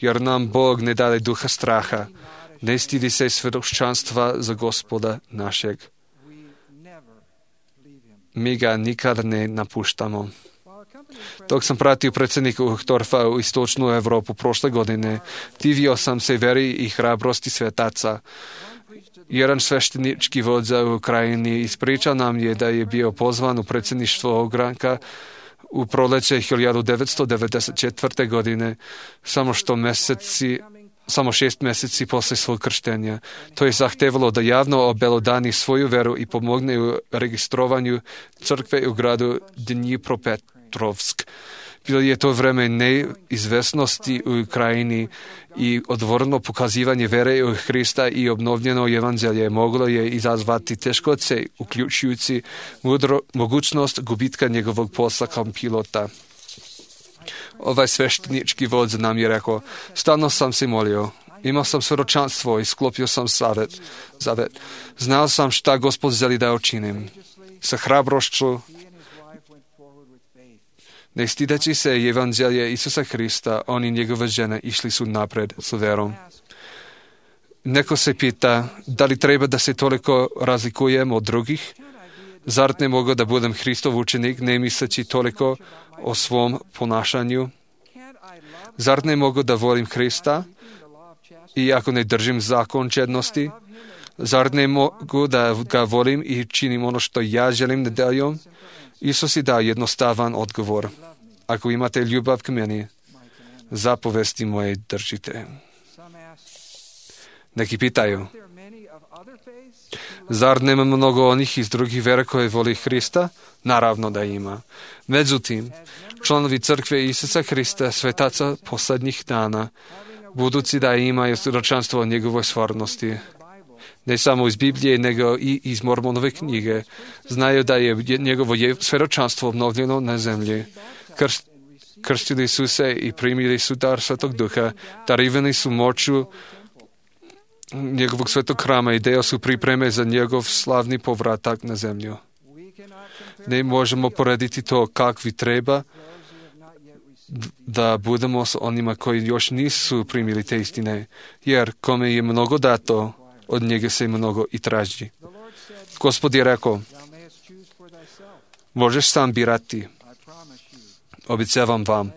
jer nam Bog ne dade duha straha, ne stidi se svjedočanstva za Gospoda našeg. Mi ga nikad ne napuštamo. Dok sam pratio predsjednika Uchtdorfa u istočnu Evropu prošle godine, divio sam se veri i hrabrosti svetaca. Jedan sveštenički vođa u Ukrajini ispričao nam je da je bio pozvan u predsjedništvo ogranka u proleće hiljadu devetsto devedeset četvrte. godine, samo što meseci, samo šest mjeseci poslije svog krštenja. To je zahtevalo da javno obelodani svoju veru i pomogne u registrovanju crkve u gradu Dnjipropetrovsk. Bilo je to vreme neizvesnosti u Ukrajini i odvorno pokazivanje vere u Hrista i obnovljeno evanđelje moglo je izazvati teškoće, uključujući mudro, mogućnost gubitka njegovog posla kao pilota. Ovaj sveštenički vođa nam je rekao, stalno sam se molio, imao sam svjedočanstvo i sklopio sam zavet. zavet. Znao sam šta Gospod želi da učinim. Sa hrabrošću, ne stideći se evanđelje Isusa Hrista, on i njegova žena išli su napred s verom. Neko se pita, da li treba da se toliko razlikujem od drugih? Zar ne mogu da budem Hristov učenik, ne misleći toliko o svom ponašanju? Zar ne mogu da volim Hrista, iako ne držim zakon čednosti? Zar ne mogu da ga volim i činim ono što ja želim nedeljom? Isus je dao jednostavan odgovor. Ako imate ljubav k meni, zapovesti moje držite. Neki pitaju, zar nema mnogo onih iz drugih vera koje voli Hrista? Naravno da ima. Međutim, članovi crkve Isusa Hrista, svetaca posljednjih dana, budući da imaju svjedočanstvo o njegovoj stvarnosti, ne samo iz Biblije, nego i iz Mormonove knjige, znaju da je njegovo svjedočanstvo obnovljeno na zemlji. Krst, krstili su se i primili su dar Svetog Duha, darivani su moću njegovog svetog hrama i deo su pripreme za njegov slavni povratak na zemlju. Ne možemo porediti to kakvi treba da budemo s onima koji još nisu primili te istine, jer kome je mnogo dato, od njega se mnogo i traži. Gospod je rekao, možeš sam birati. Objecavam vam.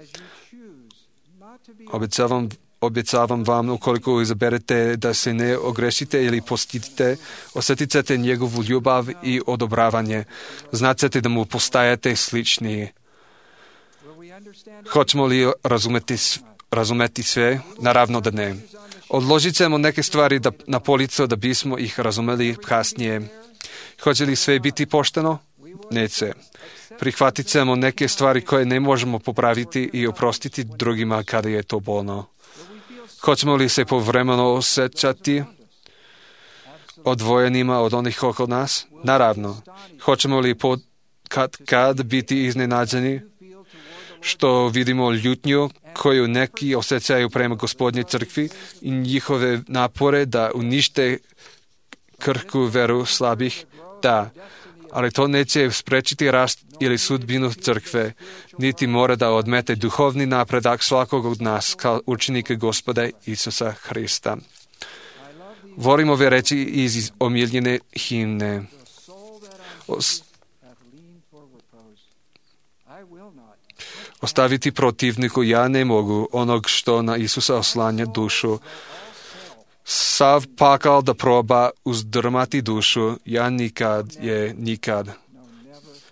Objecavam, objecavam vam, ukoliko izaberete da se ne ogrešite ili postidite, osjetit ćete njegovu ljubav i odobravanje. Znat ćete da mu postajete sličniji. Hoćemo li razumeti, razumeti sve? Naravno da ne. Odložit ćemo neke stvari da, na policu da bismo ih razumeli kasnije. Hoće li sve biti pošteno? Neće. Prihvatit ćemo neke stvari koje ne možemo popraviti i oprostiti drugima kada je to bolno. Hoćemo li se povremeno osjećati odvojenima od onih oko nas? Naravno. Hoćemo li pod, kad, kad biti iznenađeni što vidimo ljutnju koju neki osjećaju prema Gospodnjoj crkvi i njihove napore da unište krhku veru slabih? Da, ali to neće sprečiti rast ili sudbinu crkve, niti mora da odmete duhovni napredak svakog od nas kao učenika Gospoda Isusa Hrista. Volim ove reči iz omiljene himne. Os- Ostaviti protivniku ja ne mogu onog što na Isusa oslanja dušu. Sav pakal da proba uzdrmati dušu, ja nikad je nikad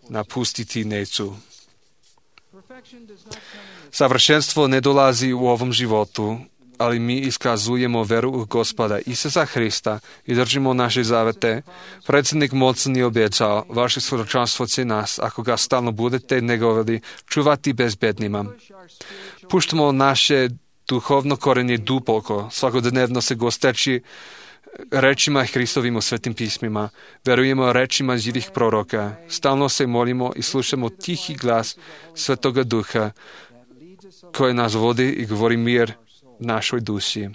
napustiti neću. Savršenstvo ne dolazi u ovom životu, ali mi iskazujemo veru u Gospoda Isusa Hrista i držimo naše zavete. Predsjednik mocni obećao, vaše svjedočanstvo će nas, ako ga stalno budete negovali, čuvati bezbednima. Puštamo naše duhovno korenje duboko, svakodnevno se gosteći rečima Hristovim u svetim pismima. Verujemo rečima živih proroka. Stalno se molimo i slušamo tihi glas Svetoga Duha koji nas vodi i govori mir našoj duši.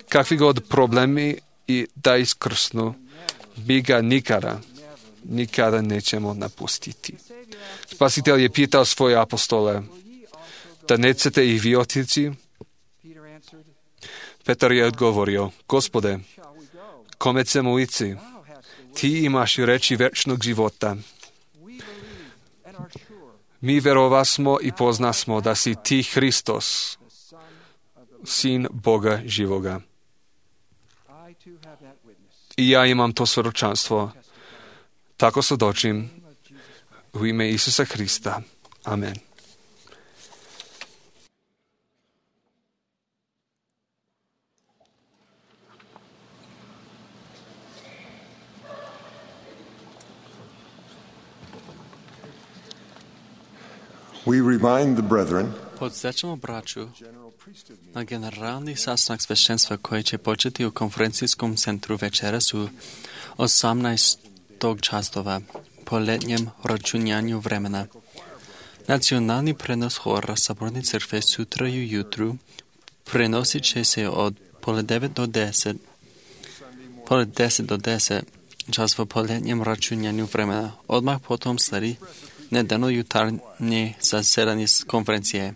Kakvi god problemi i da iskrsnu, mi ga nikada, nikada nećemo napustiti. Spasitelj je pitao svoje apostole, da nećete i vi otići? Petar je odgovorio, Gospode, kome ćemo ići? Ti imaš reči večnog života. Mi verovasmo i poznasmo da si ti Hristos, Sin Boga živoga. I ja imam to svjedočanstvo. Tako svjedočim u ime Isusa Hrista. Amen. We remind the brethren Podsjećamo braću na generalni sastanak sveštenstva koji će početi u konferencijskom centru večeras u osamnaest časova po letnjem računjanju vremena. Nacionalni prenos hora Saborne crkve sutra ujutru prenosit će se od pola devet do deset, pola deset do deset časova po letnjem računjanju vremena. Odmah potom sledi nedeljno jutarnje zasedanje konferencije.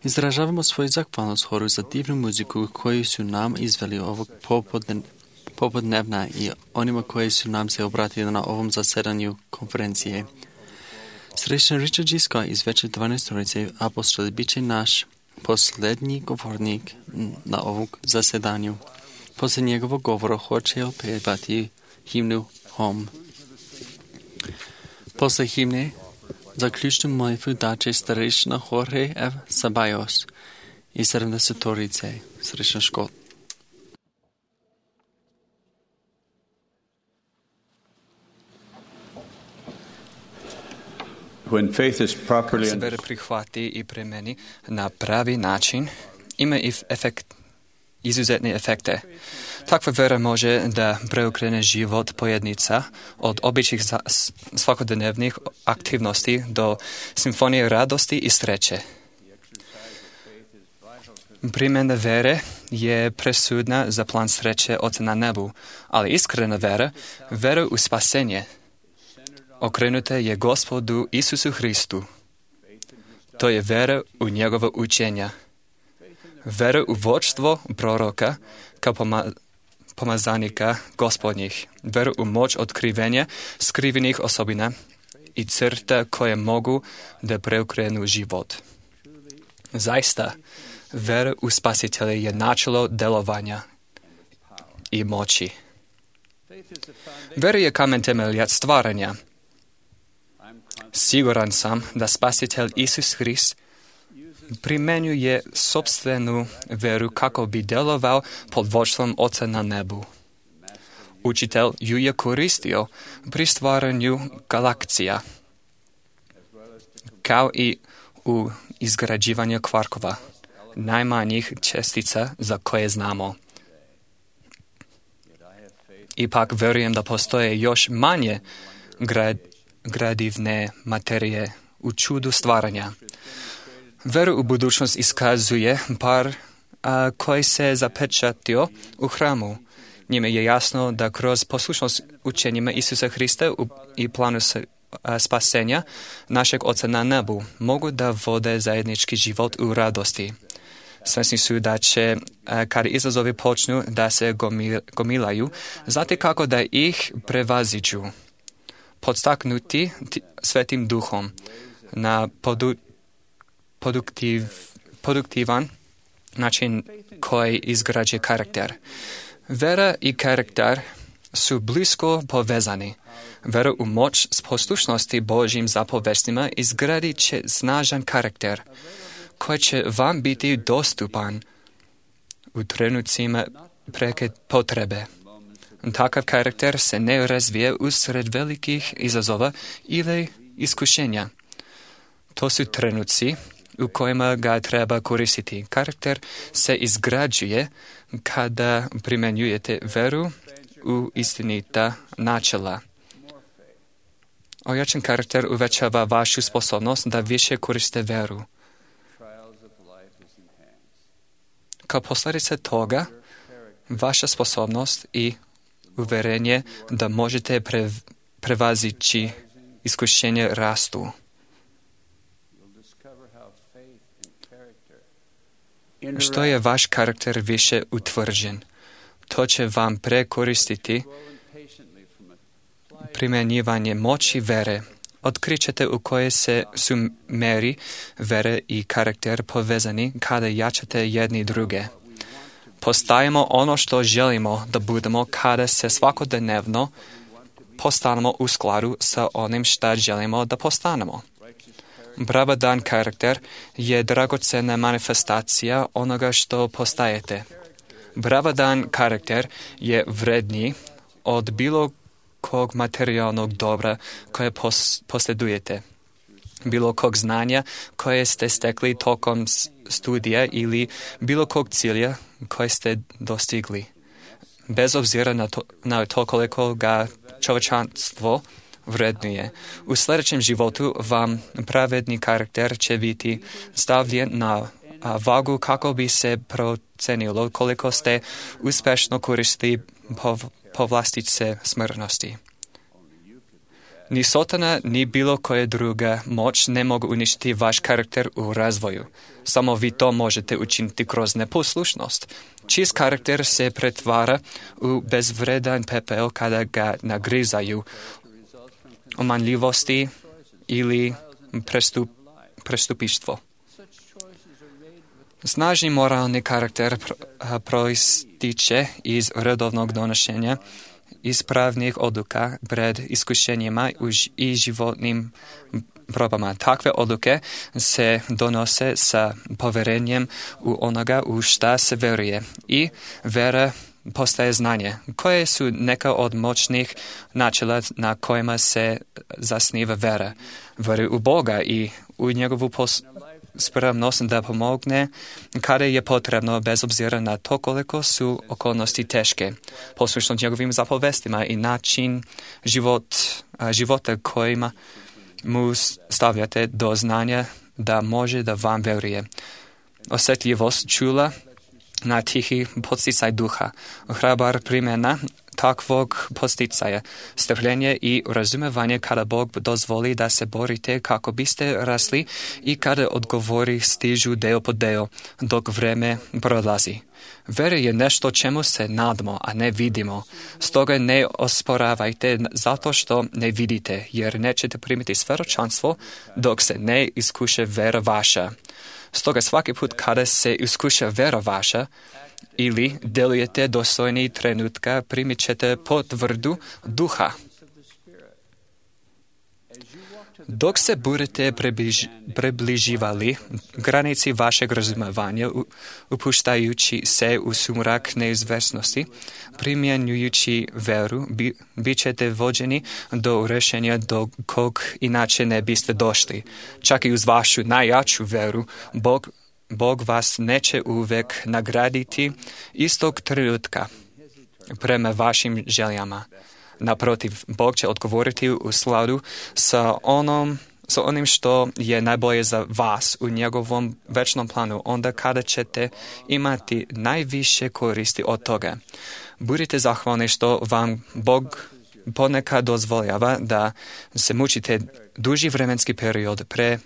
Izražavamo svoju zahvalnost horu za divnu muziku koju su nam izveli ovog popodnevna i onima koji su nam se obratili na ovom zasedanju konferencije. Srečan Richard G. Scott iz Veće dvanaestorice apostoli bit će naš posljednji govornik na ovom zasedanju. Poslije njegovog govora hoće opevati himnu Home. Posle himne zaključnu molitvu daće starešina Jorge F. Sabajos iz sedamdesetorice. Srečan Škot. When faith is properly se vera prihvati i primeni na pravi način, ima i efekt, izuzetne efekte. Takva vera može da preokrene život pojedinca od običnih svakodnevnih aktivnosti do simfonije radosti i sreće. Primjena vere je presudna za plan sreće Oca na nebu, ali iskrena vera, vera u spasenje, okrenuta je Gospodu Isusu Hristu. To je vera u njegovo učenja. Vera u vođstvo proroka kao poma, pomazanika gospodnjih. Vera u moć otkrivenja skrivenih osobina i crta koje mogu da preokrenu život. Zaista, vera u Spasitelja je načelo delovanja i moći. Vera je kamen temeljac stvaranja. Siguran sam da Spasitelj Isus Hrist primenjuje sopstvenu veru kako bi delovao pod vodstvom Oca na nebu. Učitelj ju je koristio pri stvaranju galakcija, kao i u izgrađivanju kvarkova, najmanjih čestica za koje znamo. Ipak verujem da postoje još manje grad, gradivne materije u čudu stvaranja. Veru u budućnost iskazuje par a, koji se zapečatio u hramu. Njime je jasno da kroz poslušnost učenjima Isusa Hrista u, i planu a, spasenja našeg Oca na nebu mogu da vode zajednički život u radosti. Svesni su da će, a, kad izazovi počnu da se gomil, gomilaju, znati kako da ih prevaziđu. Podstaknuti t- svetim duhom na podu, produktiv, produktivan način koji izgrađuje karakter. Vera i karakter su blisko povezani. Vera u moć s poslušnosti Božjim zapovestima izgradit će snažan karakter koji će vam biti dostupan u trenucima preke potrebe. Takav karakter se ne razvije usred velikih izazova ili iskušenja. To su trenuci u kojima ga treba koristiti. Karakter se izgrađuje kada primjenjujete veru u istinita načela. Ojačan karakter uvećava vašu sposobnost da više koriste veru. Kao posljedica toga, vaša sposobnost i uverenje da možete pre, prevazići iskušenje rastu. Što je vaš karakter više utvrđen, to će vam prekoristiti primjenjivanje moći vere. Otkrićete u koje se su meri vere i karakter povezani kada jačate jedni druge. Postajemo ono što želimo da budemo kada se svakodnevno postanemo u skladu sa onim što želimo da postanemo. Pravedan karakter je dragocena manifestacija onoga što postajete. Pravedan karakter je vredniji od bilo kog materijalnog dobra koje pos- posjedujete, bilo kog znanja koje ste stekli tokom studija ili bilo kog cilja koje ste dostigli. Bez obzira na to, na to koliko ga čovječanstvo vrednuje. U sljedećem životu vam pravedni karakter će biti stavljen na vagu kako bi se procenilo koliko ste uspješno koristili pov, povlastice smrtnosti. Ni Sotana, ni bilo koja druga moć ne mogu uništiti vaš karakter u razvoju. Samo vi to možete učiniti kroz neposlušnost. Čist karakter se pretvara u bezvredan pepel kada ga nagrizaju omanljivosti ili prestup, prestupištvo. Snažni moralni karakter proističe iz redovnog donošenja ispravnih odluka pred iskušenjima i životnim probama. Takve odluke se donose sa poverenjem u onoga u šta se veruje i vera postaje znanje. Koje su neka od moćnih načela na kojima se zasniva vera? Vera u Boga i u njegovu pos- spremnost da pomogne kada je potrebno, bez obzira na to koliko su okolnosti teške. Poslušnost njegovim zapovestima i način život, života kojima mu stavljate do znanja da može da vam veruje. Osjetljivost čula na tihi podsticaj duha. Hrabar primjena takvog posticaja, strpljenje i razumevanje kada Bog dozvoli da se borite kako biste rasli i kada odgovori stižu deo po deo dok vreme prolazi. Vera je nešto čemu se nadamo, a ne vidimo. Stoga ne osporavajte zato što ne vidite, jer nećete primiti svjedočanstvo dok se ne iskuše vera vaša. Stoga svaki put kada se iskuša vera vaša ili delujete dostojni trenutka, primit ćete potvrdu duha. Dok se budete približ, približivali granici vašeg razumevanja, upuštajući se u sumrak neizvesnosti, primjenjujući veru, bi, bit ćete vođeni do rješenja do kog inače ne biste došli. Čak i uz vašu najjaču veru, Bog, Bog vas neće uvek nagraditi istog trenutka prema vašim željama. Naprotiv, Bog će odgovoriti u skladu sa, onom, sa onim što je najbolje za vas u njegovom večnom planu, onda kada ćete imati najviše koristi od toga. Budite zahvalni što vam Bog ponekad dozvoljava da se mučite duži vremenski period pre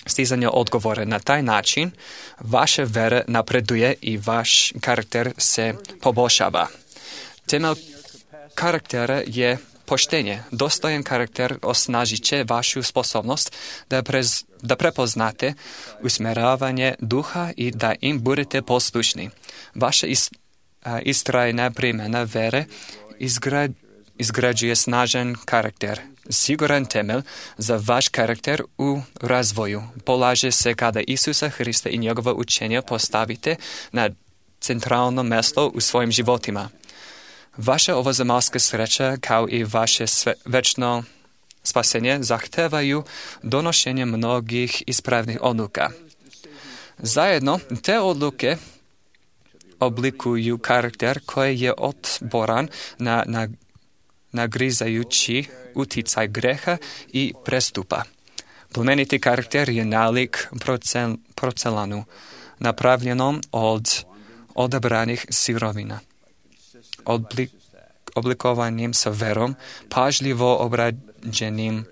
stizanja odgovora. Na taj način vaša vera napreduje i vaš karakter se poboljšava. Temelj karaktera je poštenje. Dostojan karakter osnažit će vašu sposobnost da, prez, da prepoznate usmjeravanje duha i da im budete poslušni. Vaša ist, a, istrajna primjena vere izgra, izgrađuje snažan karakter. Siguran temelj za vaš karakter u razvoju polaže se kada Isusa Hrista i njegova učenja postavite na centralno mjesto u svojim životima. Vaša ovozemaljska sreća kao i vaše sve, večno spasenje zahtevaju donošenje mnogih ispravnih odluka. Zajedno te odluke oblikuju karakter koji je otporan na, na nagrizajući uticaj greha i prestupa. Plemeniti karakter je nalik procel, procelanu, napravljenom od odabranih sirovina. Oblik, oblikovanim sa verom, pažljivo obrađenim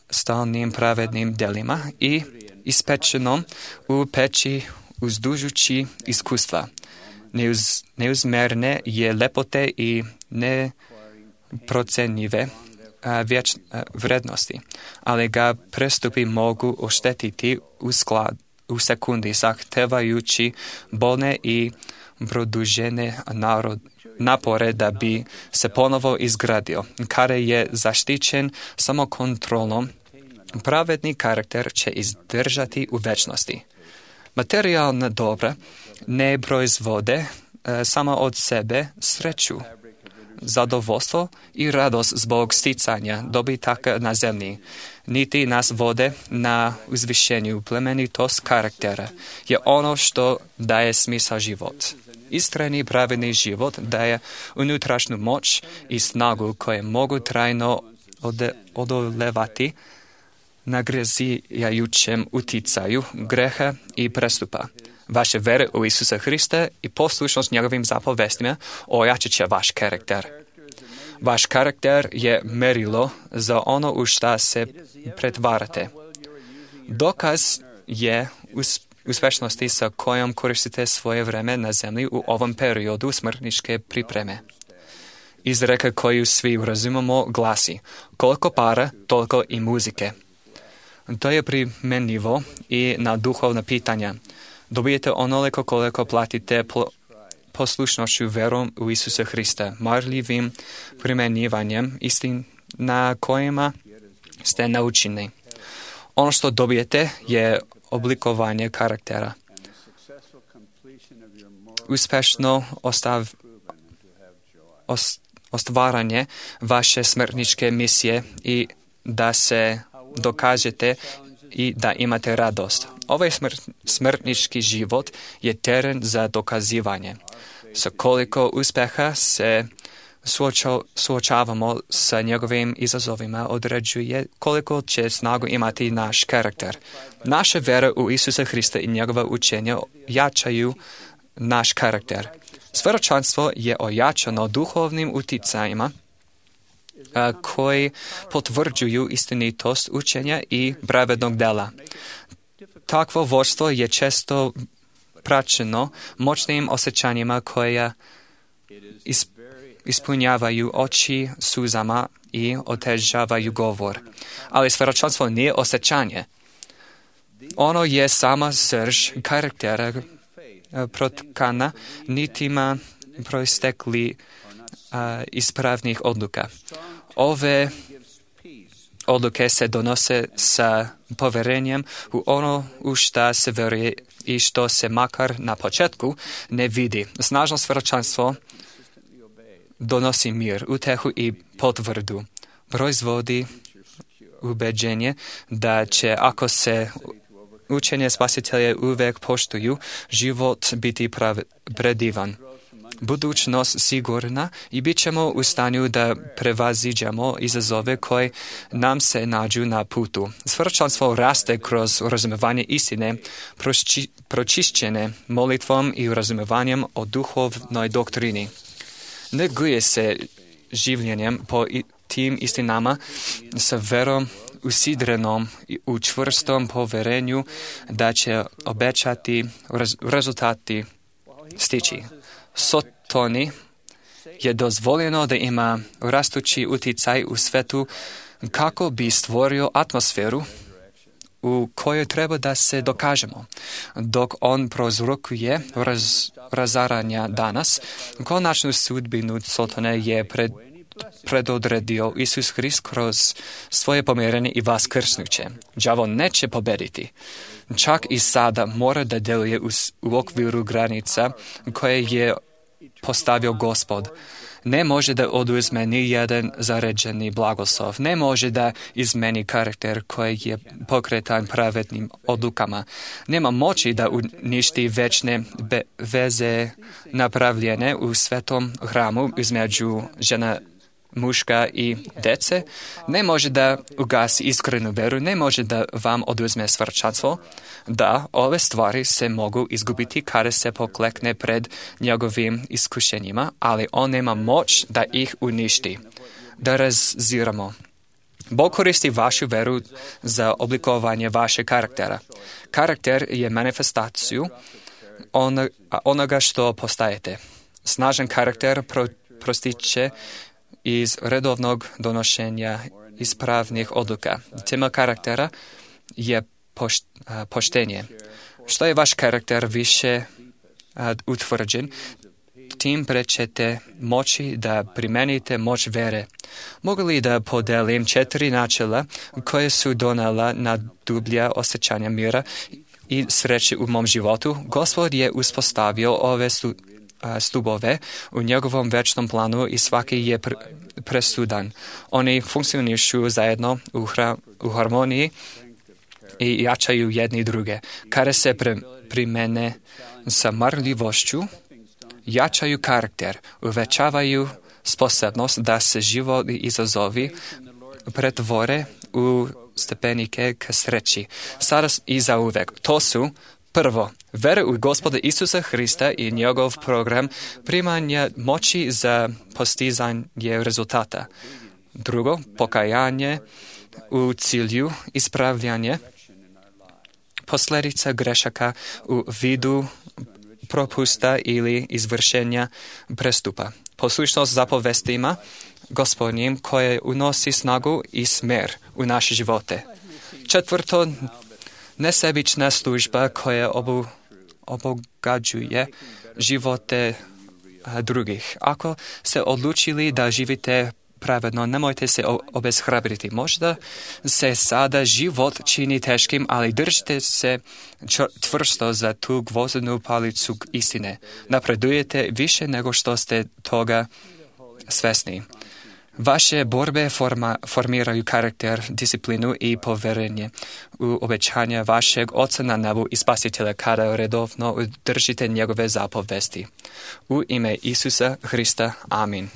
stalnim pravednim delima i ispečenom u peći uzdužući iskustva. Neuz, neuzmerne je lepote i neprocenjive a, vječ, a, vrednosti, ali ga prestupi mogu oštetiti u, sklad, u sekundi, zahtevajući bolne i produžene narod, napore da bi se ponovo izgradio. Kada je zaštićen samo kontrolom, pravedni karakter će izdržati u večnosti. Materijalna dobra ne proizvode e, samo od sebe sreću, zadovoljstvo i radost zbog sticanja dobitaka na zemlji, niti nas vode na uzvišenju. Plemenitost karaktera je ono što daje smisao život. Istrajni pravedni život daje unutrašnju moć i snagu koje mogu trajno ode, odolevati nagrizajućem uticaju greha i prestupa. Vaše vere u Isusa Hrista i poslušnost njegovim zapovestima ojačat će vaš karakter. Vaš karakter je merilo za ono u šta se pretvarate. Dokaz je uspješnost uspješnosti sa kojom koristite svoje vreme na zemlji u ovom periodu smrtničke pripreme. Izreka koju svi razumemo glasi: koliko para, toliko i muzike. To je primjenjivo i na duhovna pitanja. Dobijete onoliko koliko platite pl- poslušnošću verom u Isusa Hrista, marljivim primjenjivanjem istin na kojima ste naučeni. Ono što dobijete je oblikovanje karaktera. Uspješno ostav, ost, ostvaranje vaše smrtničke misije i da se dokažete i da imate radost. Ovaj smrt, smrtnički život je teren za dokazivanje. Sa koliko uspjeha se suoča, suočavamo sa njegovim izazovima određuje koliko će snagu imati naš karakter. Naša vera u Isusa Hrista i njegova učenja jačaju naš karakter. Svedočanstvo je ojačano duhovnim uticajima koji potvrđuju istinitost učenja i pravednog dela. Takvo vodstvo je često praćeno moćnim osjećanjima koja ispunjavaju oči suzama i otežavaju govor. Ali svedočanstvo nije osjećanje. Ono je sama srž karaktera protkana nitima proistekli a, ispravnih odluka. Ove odluke se donose sa poverenjem u ono u šta se veruje i što se makar na početku ne vidi. Snažno svedočanstvo donosi mir, utehu i potvrdu. Proizvodi ubeđenje da će, ako se učenje Spasitelja uvek poštuju, život biti prav, predivan. Budućnost sigurna i bit ćemo u stanju da prevaziđemo izazove koje nam se nađu na putu. Svedočanstvo raste kroz razumevanje istine, proči, pročišćene molitvom i razumevanjem o duhovnoj doktrini. Neguje se življenjem po tim istinama sa verom usidrenom u čvrstom poverenju da će obećati rez, rezultati stići. Sotoni je dozvoljeno da ima rastući uticaj u svetu kako bi stvorio atmosferu u kojoj treba da se dokažemo. Dok on prouzrokuje raz, razaranja danas, konačnu sudbinu Sotone je pred, predodredio Isus Hrist kroz svoje pomirenje i vaskrsnuće. Đavo neće pobediti. Čak i sada mora da deluje u, u okviru granica koje je postavio Gospod. Ne može da oduzme ni jedan zaređeni blagoslov. Ne može da izmeni karakter koji je pokretan pravednim odlukama. Nema moći da uništi večne be- veze napravljene u svetom hramu između žena, muška i dece. Ne može da ugasi iskrenu veru. Ne može da vam oduzme svedočanstvo. Da, ove stvari se mogu izgubiti kada se poklekne pred njegovim iskušenjima, ali on nema moć da ih uništi. Da raziramo. Bog koristi vašu veru za oblikovanje vašeg karaktera. Karakter je manifestaciju onoga što postajete. Snažan karakter pro, prostiče iz redovnog donošenja ispravnih odluka. Tema karaktera je pošt, a, poštenje. Što je vaš karakter više a, utvrđen, tim pre ćete moći da primenite moć vere. Mogu li da podelim četiri načela koje su donela na dublja osjećanja mira i sreće u mom životu? Gospod je uspostavio ove stu, a, stubove u njegovom večnom planu i svaki je pr, presudan. Oni funkcionišu zajedno u, hra, u harmoniji i jačaju jedni druge. Kada se pre, primene sa marljivošću, jačaju karakter, uvećavaju sposobnost da se život i izazovi pretvore u stepenike ka sreći. Sada i zauvek. To su prvo, vera u Gospoda Isusa Hrista i njegov program primanja moći za postizanje rezultata. Drugo, pokajanje u cilju ispravljanja posljedica grešaka u vidu propusta ili izvršenja prestupa. Poslušnost zapovestima Gospodnjim koje unosi snagu i smer u naše živote. Četvrto, nesebična služba koja obu, obogađuje živote a, drugih. Ako se odlučili da živite pravedno, nemojte se obeshrabriti. Možda se sada život čini teškim, ali držite se čvrsto za tu gvozdenu palicu istine. Napredujete više nego što ste toga svesni. Vaše borbe forma, formiraju karakter, disciplinu i poverenje u obećanja vašeg Oca na nebu i Spasitelja kada redovno držite njegove zapovesti. U ime Isusa Hrista. Amin.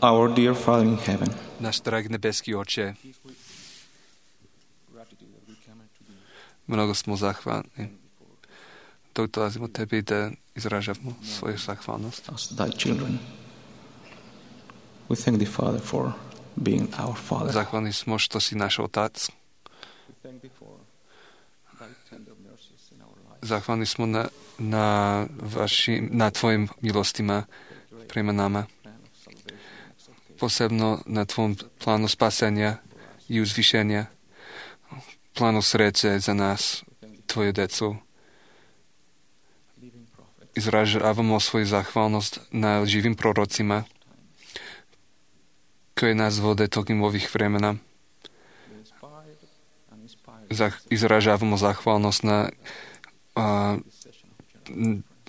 Our dear Father in heaven, Náš drahý nebeský Oče, mnogo smo zahvalni. Dok dolazimo tebi da izražavamo svoju zahvalnost. as thy children, we thank thee, Father, for being our Father. Zahvalni smo što si naš Otac. Zahvalni smo na, na, vaši, na tvojim milostima prema nama. Posebno na tvom planu spasenja i uzvišenja, planu sreće za nas, tvoju decu. Izražavamo svoju zahvalnost na živim prorocima koji nas vode tokom ovih vremena. Zah, izražavamo zahvalnost na a,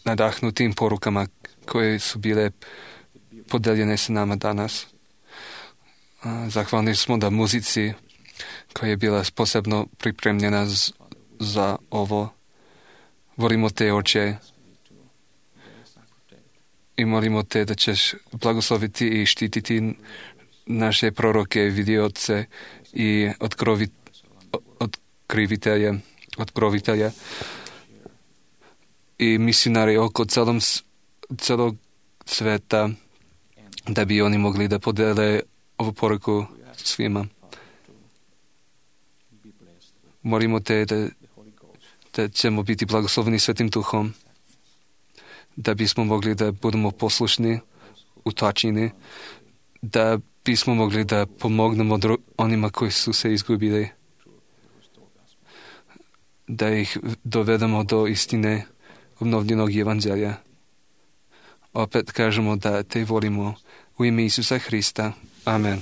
nadahnutim porukama koje su bile podeljene sa nama danas. A, zahvalni smo da muzici koja je bila posebno pripremljena z, za ovo. Volimo te, Oče, i molimo te da ćeš blagosloviti i štititi naše proroke, vidioce i otkrovi, otkrivitelje, otkrovitelje i misionari oko celom, celog sveta, da bi oni mogli da podele ovu poruku svima. Molimo te da, da ćemo biti blagosloveni Svetim Duhom, da bismo mogli da budemo poslušni u tačini, da bismo mogli da pomognemo dru- onima koji su se izgubili, da ih dovedemo do istine obnovljenog evanđelja. Opet kažemo da te volimo u ime Isusa Hrista. Amen.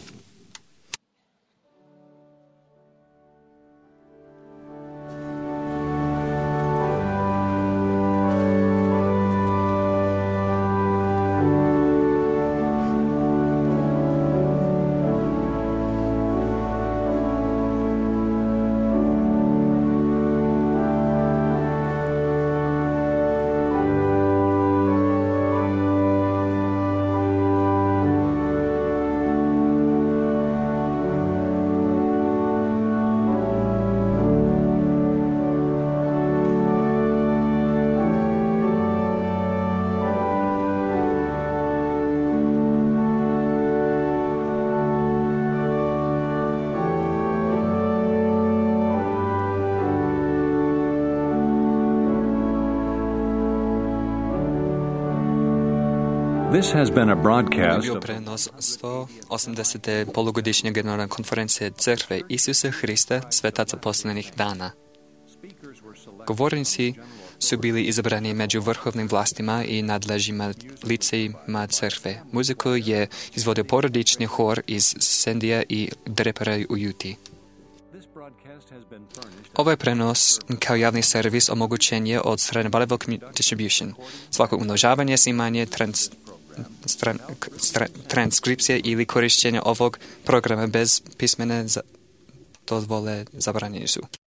This has been a broadcast bio prenos sto osamdesete polugodišnje generalne konferencije Crkve Isusa Hrista svetaca posljednjih dana. Govornici su bili izabrani među vrhovnim vlastima i nadležima licejima crkve. Muziku je izvodio porodični hor iz Sendija i Drepara u Juti. Ovaj prenos kao javni servis omogućen je od strane Bible Distribution. Svako umnožavanje, snimanje, trans, stran, stran, transkripcije ili korištenje ovog programa bez pismene dozvole zabranjeni su.